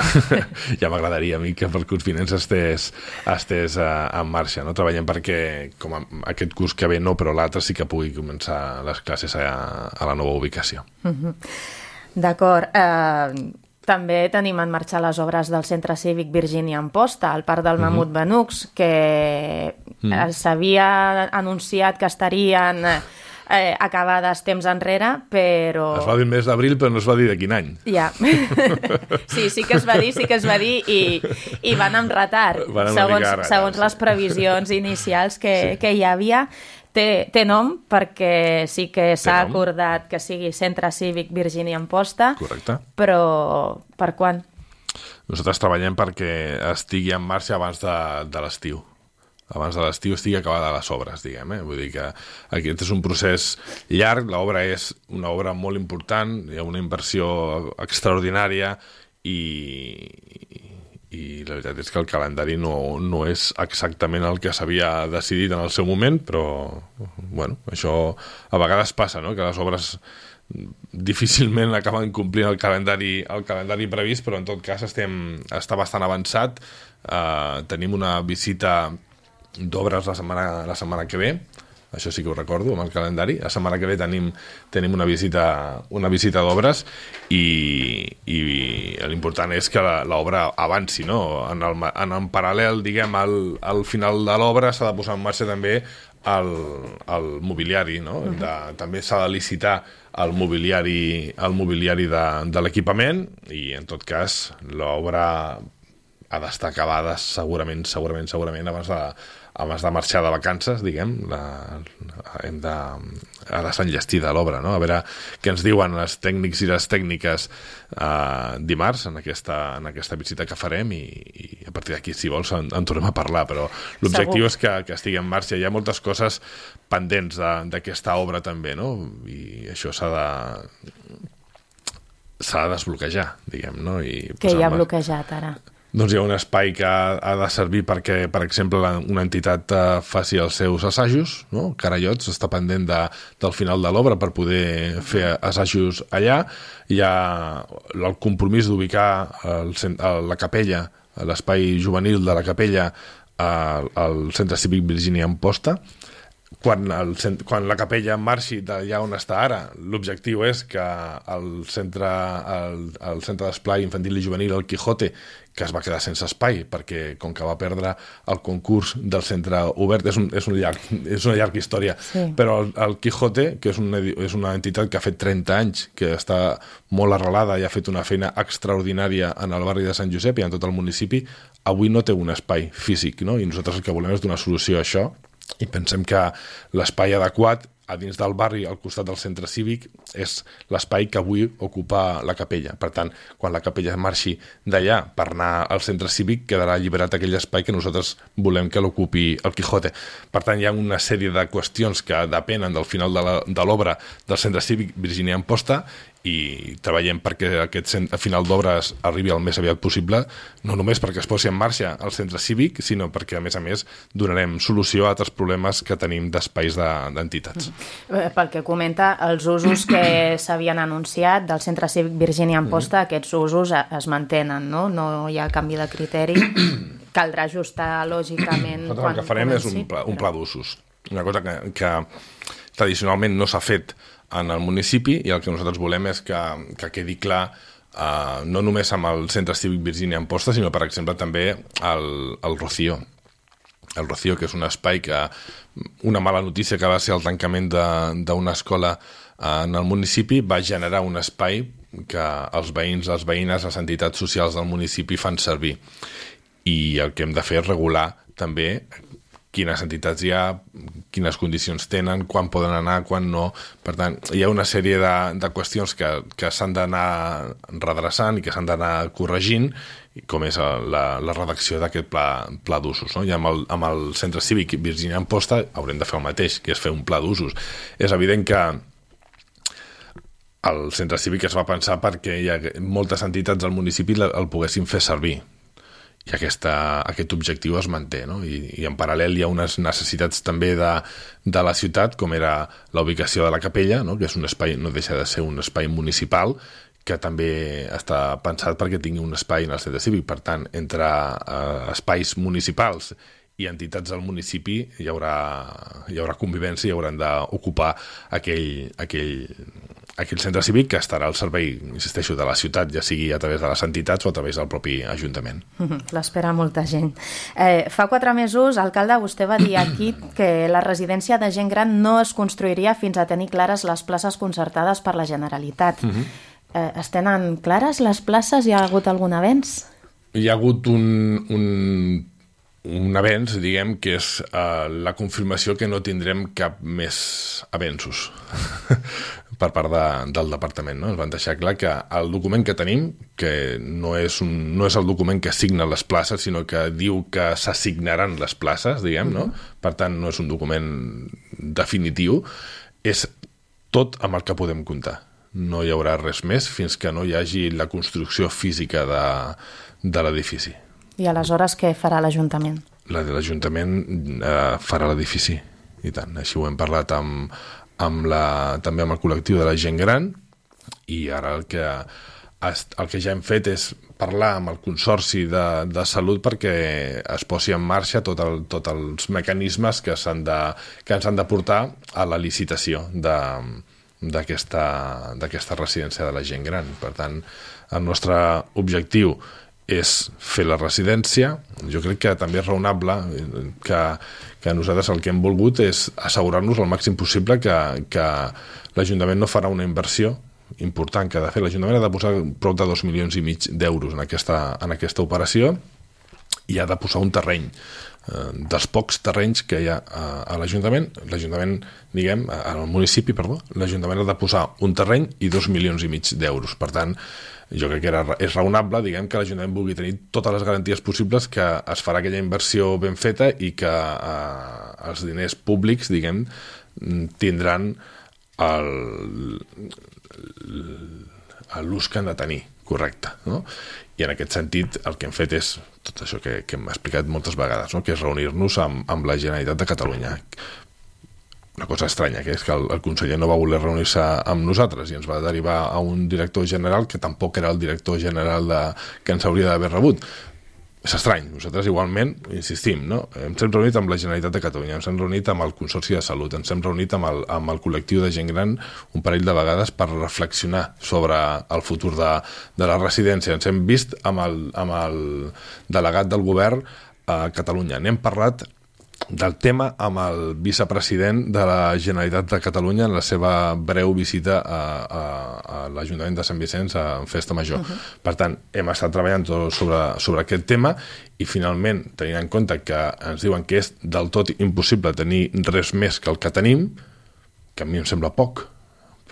Ja m'agradaria a mi que pel curs vinent estés, estés uh, en marxa. No? Treballem perquè com a, aquest curs que ve no, però l'altre sí que pugui començar les classes a, a la nova ubicació. Uh-huh. D'acord. Uh... També tenim en marxa les obres del Centre Cívic Virgínia Amposta, al Parc del Mamut Benucs, que mm. s'havia anunciat que estarien eh, acabades temps enrere, però... Es va dir el mes d'abril, però no es va dir de quin any. Ja. Sí, sí que es va dir, sí que es va dir, i, i van amb retard, van segons, retard, segons sí. les previsions inicials que, sí. que hi havia. Té, té nom perquè sí que s'ha acordat que sigui Centre Cívic Virgínia Amposta. Correcte. Però per quan? Nosaltres treballem perquè estigui en marxa abans de, de l'estiu. Abans de l'estiu estigui acabada les obres, diguem. Eh? Vull dir que aquest és un procés llarg, l'obra és una obra molt important, hi ha una inversió extraordinària i... i la veritat és que el calendari no, no és exactament el que s'havia decidit en el seu moment, però bueno, això a vegades passa, no? Que les obres difícilment acaben complint el calendari, el calendari previst, però en tot cas estem, està bastant avançat. Uh, tenim una visita d'obres la setmana, la setmana que ve, això sí que ho recordo, amb el calendari. La setmana que ve tenim, tenim una visita, una visita d'obres i, i l'important és que l'obra avanci, no? En, el, en, en paral·lel, diguem, al, al final de l'obra s'ha de posar en marxa també el, el mobiliari, no? Uh-huh. De, també s'ha de licitar el mobiliari, el mobiliari de, de l'equipament i, en tot cas, l'obra ha d'estar acabada segurament, segurament, segurament abans de abans de marxar de vacances, diguem, la, hem de, ha d'estar enllestida l'obra, no? A veure què ens diuen els tècnics i les tècniques eh, dimarts en aquesta, en aquesta visita que farem i, i a partir d'aquí, si vols, en, en tornem a parlar, però l'objectiu és que, que estigui en marxa. Hi ha moltes coses pendents d'aquesta obra també, no? I això s'ha de s'ha de desbloquejar, diguem, no? I què hi ha bloquejat ara? Doncs hi ha un espai que ha, ha de servir perquè, per exemple, la, una entitat eh, faci els seus assajos, no? Carallots està pendent de, del final de l'obra per poder fer assajos allà. Hi ha el compromís d'ubicar el, la capella, l'espai juvenil de la capella al, al Centre Cívic Virgínia Amposta. Quan, el, quan la capella marxi d'allà on està ara, l'objectiu és que el centre, el, el centre d'esplai infantil i juvenil, el Quijote, que es va quedar sense espai, perquè com que va perdre el concurs del centre obert, és, un, és, un llarg, és una llarga història, sí. Però el, el Quijote, que és una, és una entitat que ha fet trenta anys, que està molt arrelada i ha fet una feina extraordinària en el barri de Sant Josep i en tot el municipi, avui no té un espai físic, no? I nosaltres el que volem és donar solució a això, i pensem que l'espai adequat a dins del barri, al costat del centre cívic, és l'espai que avui ocupa la capella. Per tant, quan la capella marxi d'allà per anar al centre cívic, quedarà alliberat aquell espai que nosaltres volem que l'ocupi el Quijote. Per tant, hi ha una sèrie de qüestions que depenen del final de l'obra del centre cívic Virgínia Amposta i treballem perquè aquest final d'obres arribi el més aviat possible, no només perquè es posi en marxa el centre cívic, sinó perquè, a més a més, donarem solució a altres problemes que tenim d'espais d'entitats. Pel que comenta, els usos que s'havien anunciat del centre cívic Virgínia Amposta, mm. aquests usos es mantenen, no? No hi ha canvi de criteri. Caldrà ajustar lògicament Nosaltres el que farem comenci, és un pla, un pla d'usos. Una cosa que, que tradicionalment no s'ha fet en el municipi i el que nosaltres volem és que, que quedi clar uh, no només amb el Centre Cívic Virgínia Amposta, sinó, per exemple, també el, el Rocío. El Rocío, que és un espai que... Una mala notícia que va ser el tancament d'una escola en el municipi va generar un espai que els veïns, les veïnes, les entitats socials del municipi fan servir. I el que hem de fer és regular també quines entitats hi ha, quines condicions tenen, quan poden anar, quan no. Per tant, hi ha una sèrie de, de qüestions que, que s'han d'anar redreçant i que s'han d'anar corregint, com és la, la redacció d'aquest pla, pla d'usos. No? I amb el, amb el Centre Cívic Virgínia Amposta haurem de fer el mateix, que és fer un pla d'usos. És evident que el Centre Cívic es va pensar perquè hi ha moltes entitats del municipi el poguessin fer servir. I aquesta, aquest objectiu es manté, no? I, i en paral·lel hi ha unes necessitats també de, de la ciutat, com era la ubicació de la capella, no? Que és un espai, no deixa de ser un espai municipal, que també està pensat perquè tingui un espai en el centre cívic. Per tant, entre eh, espais municipals i entitats del municipi hi haurà, hi haurà convivència i hauran d'ocupar aquell, aquell, aquell centre cívic que estarà al servei, insisteixo, de la ciutat, ja sigui a través de les entitats o a través del propi Ajuntament. L'espera molta gent. Eh, fa quatre mesos, alcalde, vostè va dir aquí que la residència de gent gran no es construiria fins a tenir clares les places concertades per la Generalitat. Uh-huh. eh, es tenen clares les places? Hi ha hagut algun avenç? Hi ha hagut un... un... un avenç, diguem, que és uh, la confirmació que no tindrem cap més avenços per part de, del departament. No? Ens van deixar clar que el document que tenim, que no és, un, no és el document que assigna les places, sinó que diu que s'assignaran les places, diguem, no? Per tant, no és un document definitiu, és tot amb el que podem comptar. No hi haurà res més fins que no hi hagi la construcció física de, de l'edifici. I aleshores què farà l'Ajuntament? L'Ajuntament eh, farà l'edifici, i tant. Així ho hem parlat amb, amb la, també amb el col·lectiu de la gent gran, i ara el que, el que ja hem fet és parlar amb el Consorci de, de Salut perquè es posi en marxa tots el, tot els mecanismes que, s'han de, que ens han de portar a la licitació de, d'aquesta, d'aquesta residència de la gent gran. Per tant, el nostre objectiu és fer la residència. Jo crec que també és raonable que, que nosaltres el que hem volgut és assegurar-nos al màxim possible que, que l'Ajuntament no farà una inversió important que ha de fer. L'Ajuntament ha de posar prop de dos milions i mig d'euros en aquesta, en aquesta operació i ha de posar un terreny. Eh, dels pocs terrenys que hi ha a, a l'Ajuntament, l'Ajuntament, diguem, al municipi, perdó, l'Ajuntament ha de posar un terreny i dos milions i mig d'euros. Per tant, jo crec que era, és raonable, diguem, que l'Ajuntament vulgui tenir totes les garanties possibles que es farà aquella inversió ben feta i que eh, els diners públics, diguem, tindran l'ús que han de tenir, correcte, no? I en aquest sentit el que hem fet és tot això que, que hem explicat moltes vegades, no? Que és reunir-nos amb, amb la Generalitat de Catalunya. Una cosa estranya, que és que el, el conseller no va voler reunir-se amb nosaltres i ens va derivar a un director general que tampoc era el director general de, que ens hauria d'haver rebut. És estrany. Nosaltres igualment, insistim, no? Ens hem reunit amb la Generalitat de Catalunya, ens hem reunit amb el Consorci de Salut, ens hem reunit amb el, amb el col·lectiu de gent gran un parell de vegades per reflexionar sobre el futur de, de la residència. Ens hem vist amb el, amb el delegat del govern a Catalunya. N'hem parlat del tema amb el vicepresident de la Generalitat de Catalunya en la seva breu visita a, a, a l'Ajuntament de Sant Vicenç a Festa Major. Uh-huh. Per tant, hem estat treballant sobre, sobre aquest tema i finalment, tenint en compte que ens diuen que és del tot impossible tenir res més que el que tenim, que a mi em sembla poc,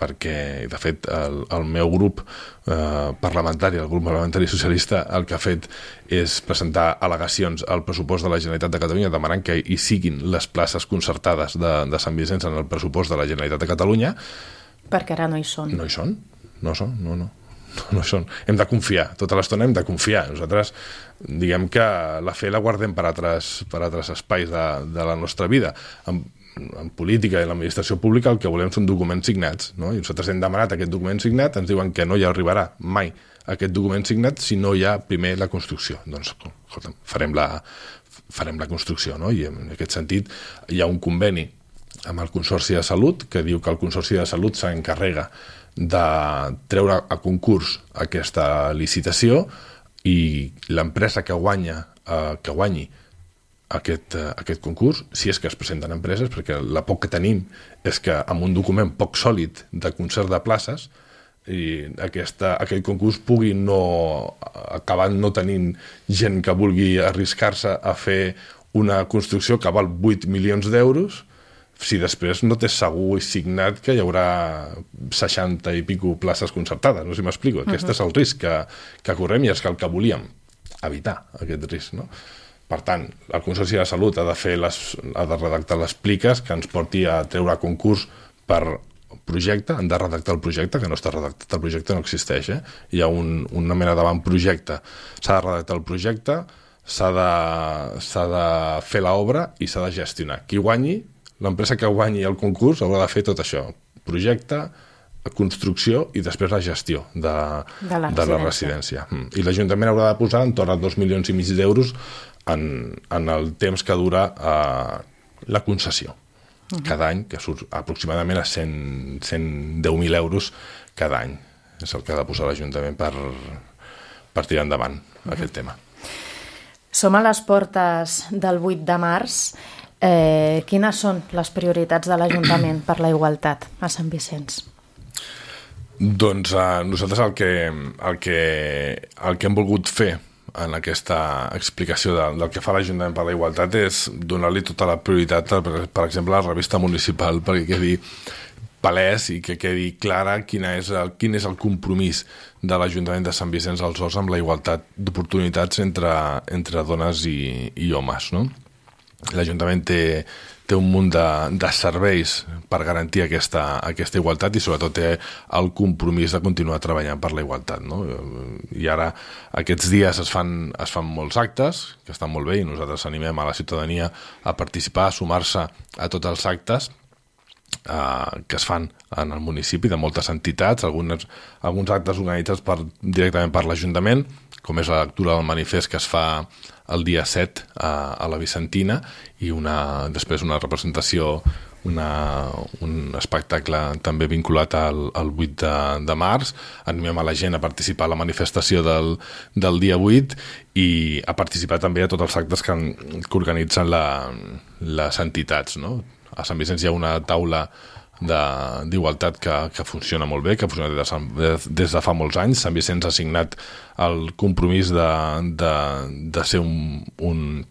perquè, de fet, el, el meu grup eh, parlamentari, el grup parlamentari socialista, el que ha fet és presentar al·legacions al pressupost de la Generalitat de Catalunya demanant que hi siguin les places concertades de, de Sant Vicenç en el pressupost de la Generalitat de Catalunya. Perquè ara no hi són. No hi són, no són, no, no. No hi són. Hem de confiar, tota l'estona hem de confiar. Nosaltres, diguem que la fe la guardem per altres, per altres espais de, de la nostra vida. En, en política i en l'administració pública el que volem són documents signats, no? I nosaltres hem demanat aquest document signat, ens diuen que no hi arribarà mai aquest document signat si no hi ha primer la construcció. Doncs, escolta, farem la, farem la construcció, no? I en aquest sentit hi ha un conveni amb el Consorci de Salut que diu que el Consorci de Salut s'encarrega de treure a concurs aquesta licitació i l'empresa que guanya eh, que guanyi aquest, eh, aquest concurs, si és que es presenten empreses, perquè la por que tenim és que amb un document poc sòlid de concert de places i aquesta, aquest concurs pugui no acabar no tenint gent que vulgui arriscar-se a fer una construcció que val vuit milions d'euros si després no té segur i signat que hi haurà seixanta i pico places concertades, no sé si m'explico. Aquest uh-huh. és el risc que, que correm i és que el que volíem evitar, aquest risc, no? Per tant, el Consorci de Salut ha de fer les, ha de redactar les pliques que ens porti a treure a concurs per projecte, han de redactar el projecte, que no està redactat, el projecte no existeix, eh? Hi ha un, una mena d'avantprojecte, s'ha de redactar el projecte, s'ha de, s'ha de fer l'obra i s'ha de gestionar. Qui guanyi, l'empresa que guanyi el concurs haurà de fer tot això, projecte, construcció i després la gestió de, de, la, de la residència. I l'Ajuntament haurà de posar entorn a dos milions i mig d'euros en, en el temps que dura eh, la concessió. Uh-huh. Cada any, que surt aproximadament a cent, cent deu mil euros cada any. És el que ha de posar l'Ajuntament per, per tirar endavant uh-huh. aquest tema. Som a les portes del vuit de març. Eh, quines són les prioritats de l'Ajuntament per la igualtat a Sant Vicenç? Doncs eh, nosaltres el que, el, que, el que hem volgut fer en aquesta explicació de, del que fa l'Ajuntament per la igualtat és donar-li tota la prioritat, per, per exemple, a la revista municipal, perquè quedi palès i que quedi clara quina és el, quin és el compromís de l'Ajuntament de Sant Vicenç dels Horts amb la igualtat d'oportunitats entre, entre dones i, i homes, no? L'Ajuntament té, té un munt de, de serveis per garantir aquesta, aquesta igualtat i sobretot té el compromís de continuar treballant per la igualtat, no? I ara aquests dies es fan, es fan molts actes que estan molt bé i nosaltres animem a la ciutadania a participar, a sumar-se a tots els actes eh, que es fan en el municipi de moltes entitats, algunes, alguns actes organitzats per, directament per l'Ajuntament, com és la lectura del manifest que es fa el dia set a, a la Vicentina i una, després una representació, una, un espectacle també vinculat al, al vuit de, de març. Animem a la gent a participar a la manifestació del, del dia vuit i a participar també a tots els actes que, que organitzen la, les entitats, no? A Sant Vicenç hi ha una taula d'igualtat que, que funciona molt bé, que funciona des de, des de fa molts anys. Sant Vicenç ha signat el compromís de, de, de ser un, un,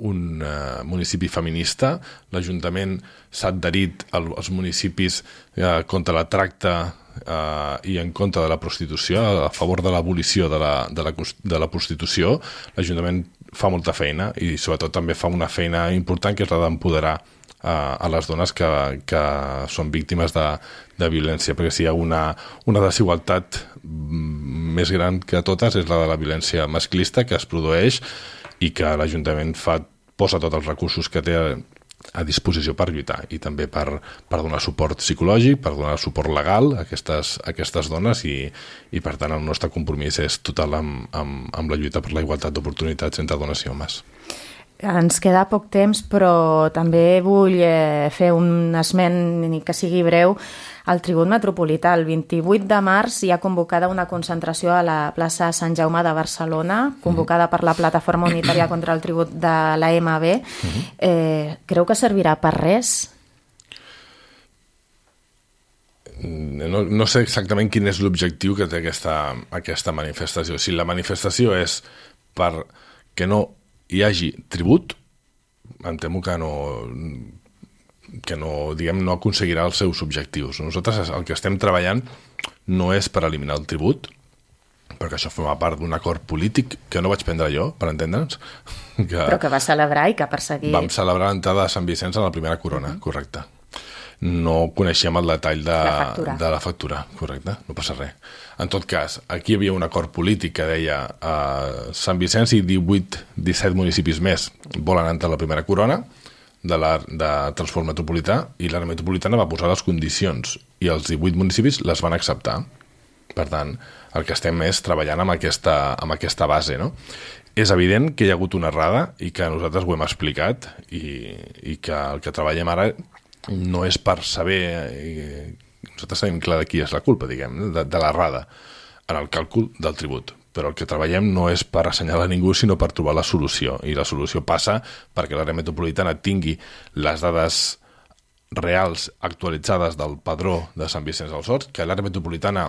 un uh, municipi feminista. L'Ajuntament s'ha adherit als municipis uh, contra la tracta uh, i en contra de la prostitució, a favor de l'abolició de, la, de, la, de la prostitució. L'Ajuntament fa molta feina i sobretot també fa una feina important que és la d'empoderar a les dones que, que són víctimes de, de violència, perquè si hi ha una, una desigualtat més gran que totes és la de la violència masclista que es produeix i que l'Ajuntament fa, posa tots els recursos que té a, a disposició per lluitar i també per, per donar suport psicològic, per donar suport legal a aquestes, a aquestes dones i, i per tant el nostre compromís és total amb, amb, amb la lluita per la igualtat d'oportunitats entre dones i homes. Ens queda poc temps, però també vull eh, fer un esment, ni que sigui breu, al Tribut Metropolità. El vint-i-vuit de març hi ha convocada una concentració a la plaça Sant Jaume de Barcelona, convocada per la Plataforma Unitària contra el Tribut de l'A M B. Eh, creu que servirà per res? No, no sé exactament quin és l'objectiu que té aquesta, aquesta manifestació. Si la manifestació és per que no hi hagi tribut, em temo que no, que no, diguem, no aconseguirà els seus objectius. Nosaltres el que estem treballant no és per eliminar el tribut, perquè això forma part d'un acord polític que no vaig prendre jo, per entendre'ns. Que però que va celebrar i que ha perseguit. Vam celebrar l'entrada de Sant Vicenç a la primera corona, uh-huh. correcte. No coneixíem el detall de la factura, de la factura correcte, no passa res. En tot cas, aquí hi havia un acord polític que deia eh, Sant Vicenç i divuit disset municipis més volen entrar a la primera corona de, la, de transport metropolità i l'àrea metropolitana va posar les condicions i els divuit municipis les van acceptar. Per tant, el que estem és treballant amb aquesta, amb aquesta base, no? És evident que hi ha hagut una errada i que nosaltres ho hem explicat i, i que el que treballem ara no és per saber nosaltres tenim clar de qui és la culpa, diguem, de, de l'errada en el càlcul del tribut. Però el que treballem no és per assenyalar ningú, sinó per trobar la solució. I la solució passa perquè l'àrea metropolitana tingui les dades reals actualitzades del padró de Sant Vicenç dels Horts, que l'àrea metropolitana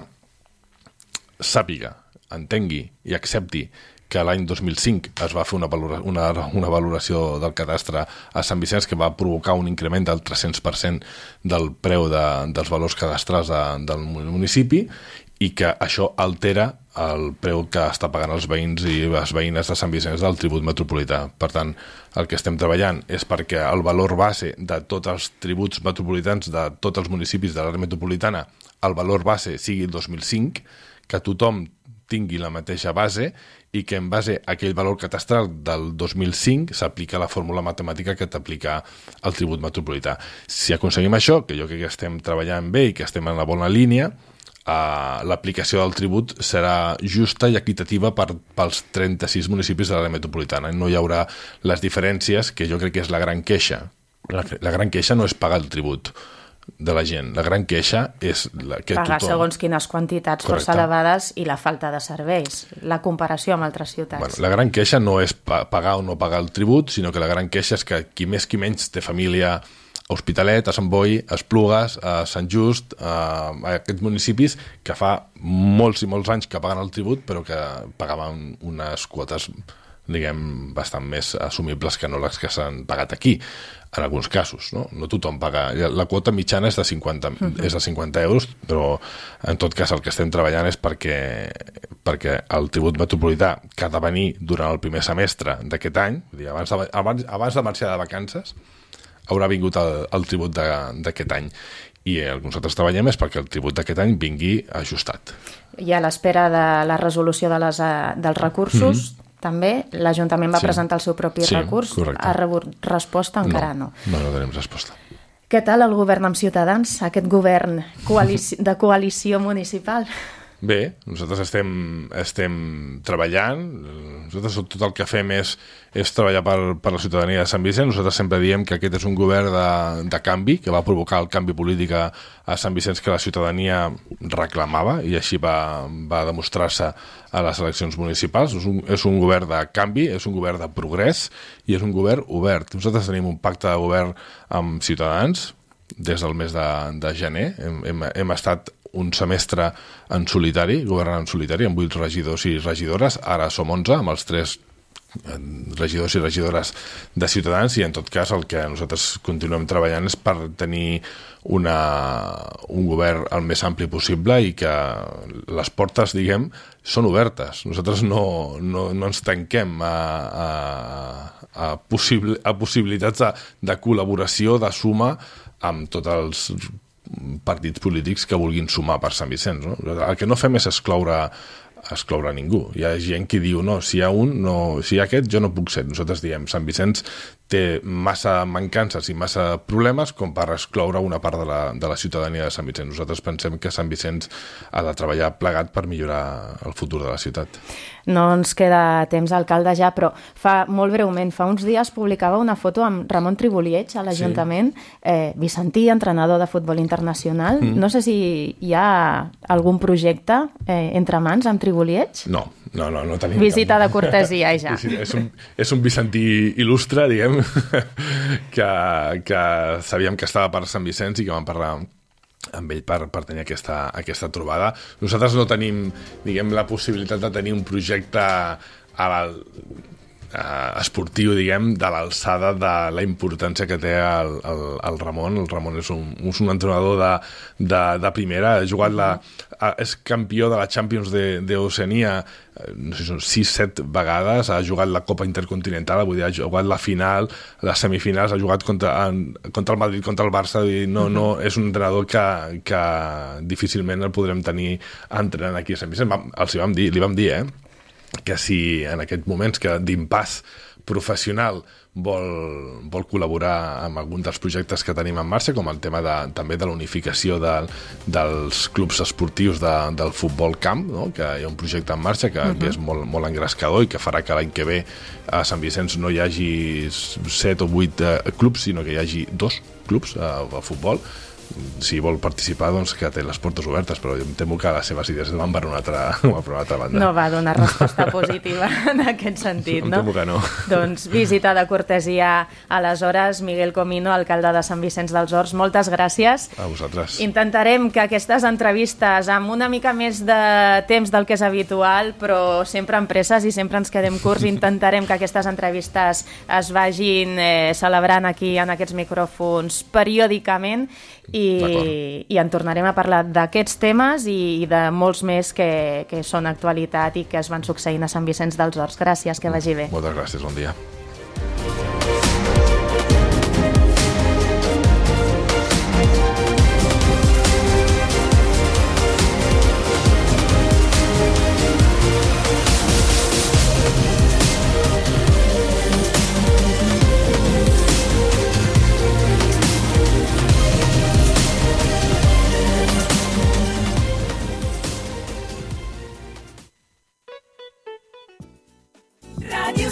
sàpiga, entengui i accepti que l'any dos mil cinc es va fer una, valora, una, una valoració del cadastre a Sant Vicenç que va provocar un increment del tres-cents per cent del preu de, dels valors cadastrals de, del municipi i que això altera el preu que està pagant els veïns i les veïnes de Sant Vicenç del tribut metropolità. Per tant, el que estem treballant és perquè el valor base de tots els tributs metropolitans de tots els municipis de l'àrea metropolitana, el valor base sigui el dos mil cinc, que tothom tingui la mateixa base i que en base a aquell valor catastral del dos mil cinc s'aplica la fórmula matemàtica que t'aplica el tribut metropolità. Si aconseguim això, que jo crec que estem treballant bé i que estem en la bona línia, uh, l'aplicació del tribut serà justa i equitativa per, pels trenta-sis municipis de l'àrea metropolitana. No hi haurà les diferències, que jo crec que és la gran queixa. La, la gran queixa no és pagar el tribut de la gent. La gran queixa és la que pagar tothom... segons quines quantitats Correcte. força elevades i la falta de serveis, la comparació amb altres ciutats. Bueno, la gran queixa no és pa pagar o no pagar el tribut, sinó que la gran queixa és que qui més qui menys té família a Hospitalet, a Sant Boi, a Esplugues, a Sant Just, a, a aquests municipis que fa molts i molts anys que paguen el tribut, però que pagaven unes quotes, diguem, bastant més assumibles que no les que s'han pagat aquí, en alguns casos, no? No tothom paga. La quota mitjana és de cinquanta, uh-huh. és de cinquanta euros, però en tot cas el que estem treballant és perquè, perquè el tribut metropolità que ha de venir durant el primer semestre d'aquest any, vull dir, abans, de, abans, abans de marxar de vacances, haurà vingut el, el tribut d'aquest any. I el que nosaltres treballem és perquè el tribut d'aquest any vingui ajustat. I a l'espera de la resolució de les, dels recursos, mm-hmm. també l'Ajuntament va sí. presentar el seu propi sí, recurs. Correcte. Ha rebut resposta? Encara no. No, no, no tenim resposta. Què tal el govern amb Ciutadans, aquest govern coalici de coalició municipal? Bé, nosaltres estem, estem treballant, nosaltres tot el que fem és, és treballar per, per la ciutadania de Sant Vicenç. Nosaltres sempre diem que aquest és un govern de, de canvi, que va provocar el canvi polític a, a Sant Vicenç que la ciutadania reclamava i així va, va demostrar-se a les eleccions municipals. És un, és un govern de canvi, és un govern de progrés i és un govern obert. Nosaltres tenim un pacte de govern amb Ciutadans des del mes de, de gener. Hem, hem, hem estat un semestre en solitari, governant en solitari, amb vuit regidors i regidores. Ara som onze, amb els tres regidors i regidores de Ciutadans, i en tot cas el que nosaltres continuem treballant és per tenir una, un govern el més ampli possible i que les portes, diguem, són obertes. Nosaltres no, no, no ens tanquem a, a, a, possible, a possibilitats de, de col·laboració, de suma amb tots els partits polítics que vulguin sumar per Sant Vicenç, no? El que no fem és excloure, excloure ningú. Hi ha gent que diu, no, si hi ha un, no, si hi ha aquest, jo no puc ser. Nosaltres diem, Sant Vicenç té massa mancances i massa problemes com per excloure una part de la, de la ciutadania de Sant Vicenç. Nosaltres pensem que Sant Vicenç ha de treballar plegat per millorar el futur de la ciutat. No ens queda temps, alcalde, ja, però fa molt breument, fa uns dies publicava una foto amb Ramon Triboliech a l'Ajuntament, sí. eh, vicentí, entrenador de futbol internacional. Mm. No sé si hi ha algun projecte eh, entre mans amb Triboliech? No, no, no, no tenim. Visita cap. de cortesia, ja. És un, és un vicentí il·lustre, diguem, que, que sabíem que estava per Sant Vicenç i que vam parlar amb ell per, per tenir aquesta, aquesta trobada. Nosaltres no tenim, diguem, la possibilitat de tenir un projecte a la, a, esportiu, diguem, de l'alçada de la importància que té el, el, el Ramon. El Ramon és un, és un entrenador de, de, de primera, ha jugat la, és campió de la Champions d'Oceania, no sé, són sis set vegades, ha jugat la Copa Intercontinental, vull dir, ha jugat la final, les semifinals, ha jugat contra, en, contra el Madrid, contra el Barça, vull dir, no, no, és un entrenador que, que difícilment el podrem tenir entrenant aquí a Sant Vicenç. Els hi vam dir, li vam dir, eh, que si en aquests moments que d'impàs professional vol, vol col·laborar amb algun dels projectes que tenim en marxa, com el tema de, també de la unificació de, dels clubs esportius de, del futbol camp, no? Que hi ha un projecte en marxa que, uh-huh. que és molt, molt engrescador i que farà que l'any que ve a Sant Vicenç no hi hagi set o vuit eh, clubs, sinó que hi hagi dos clubs eh, de futbol. si vol participar, doncs que té les portes obertes, però em temo que les seves idees van per una altra, per una altra banda. No va donar resposta positiva en aquest sentit, no? Em temo que no. Doncs visita de cortesia aleshores. Miguel Comino, alcalde de Sant Vicenç dels Horts, moltes gràcies. A vosaltres. Intentarem que aquestes entrevistes amb una mica més de temps del que és habitual, però sempre amb presses i sempre ens quedem curts, intentarem que aquestes entrevistes es vagin eh, celebrant aquí en aquests micròfons periòdicament i, i en tornarem a parlar d'aquests temes i, i de molts més que, que són actualitat i que es van succeint a Sant Vicenç dels Horts. Gràcies, que vagi bé. Moltes gràcies, bon dia. Radio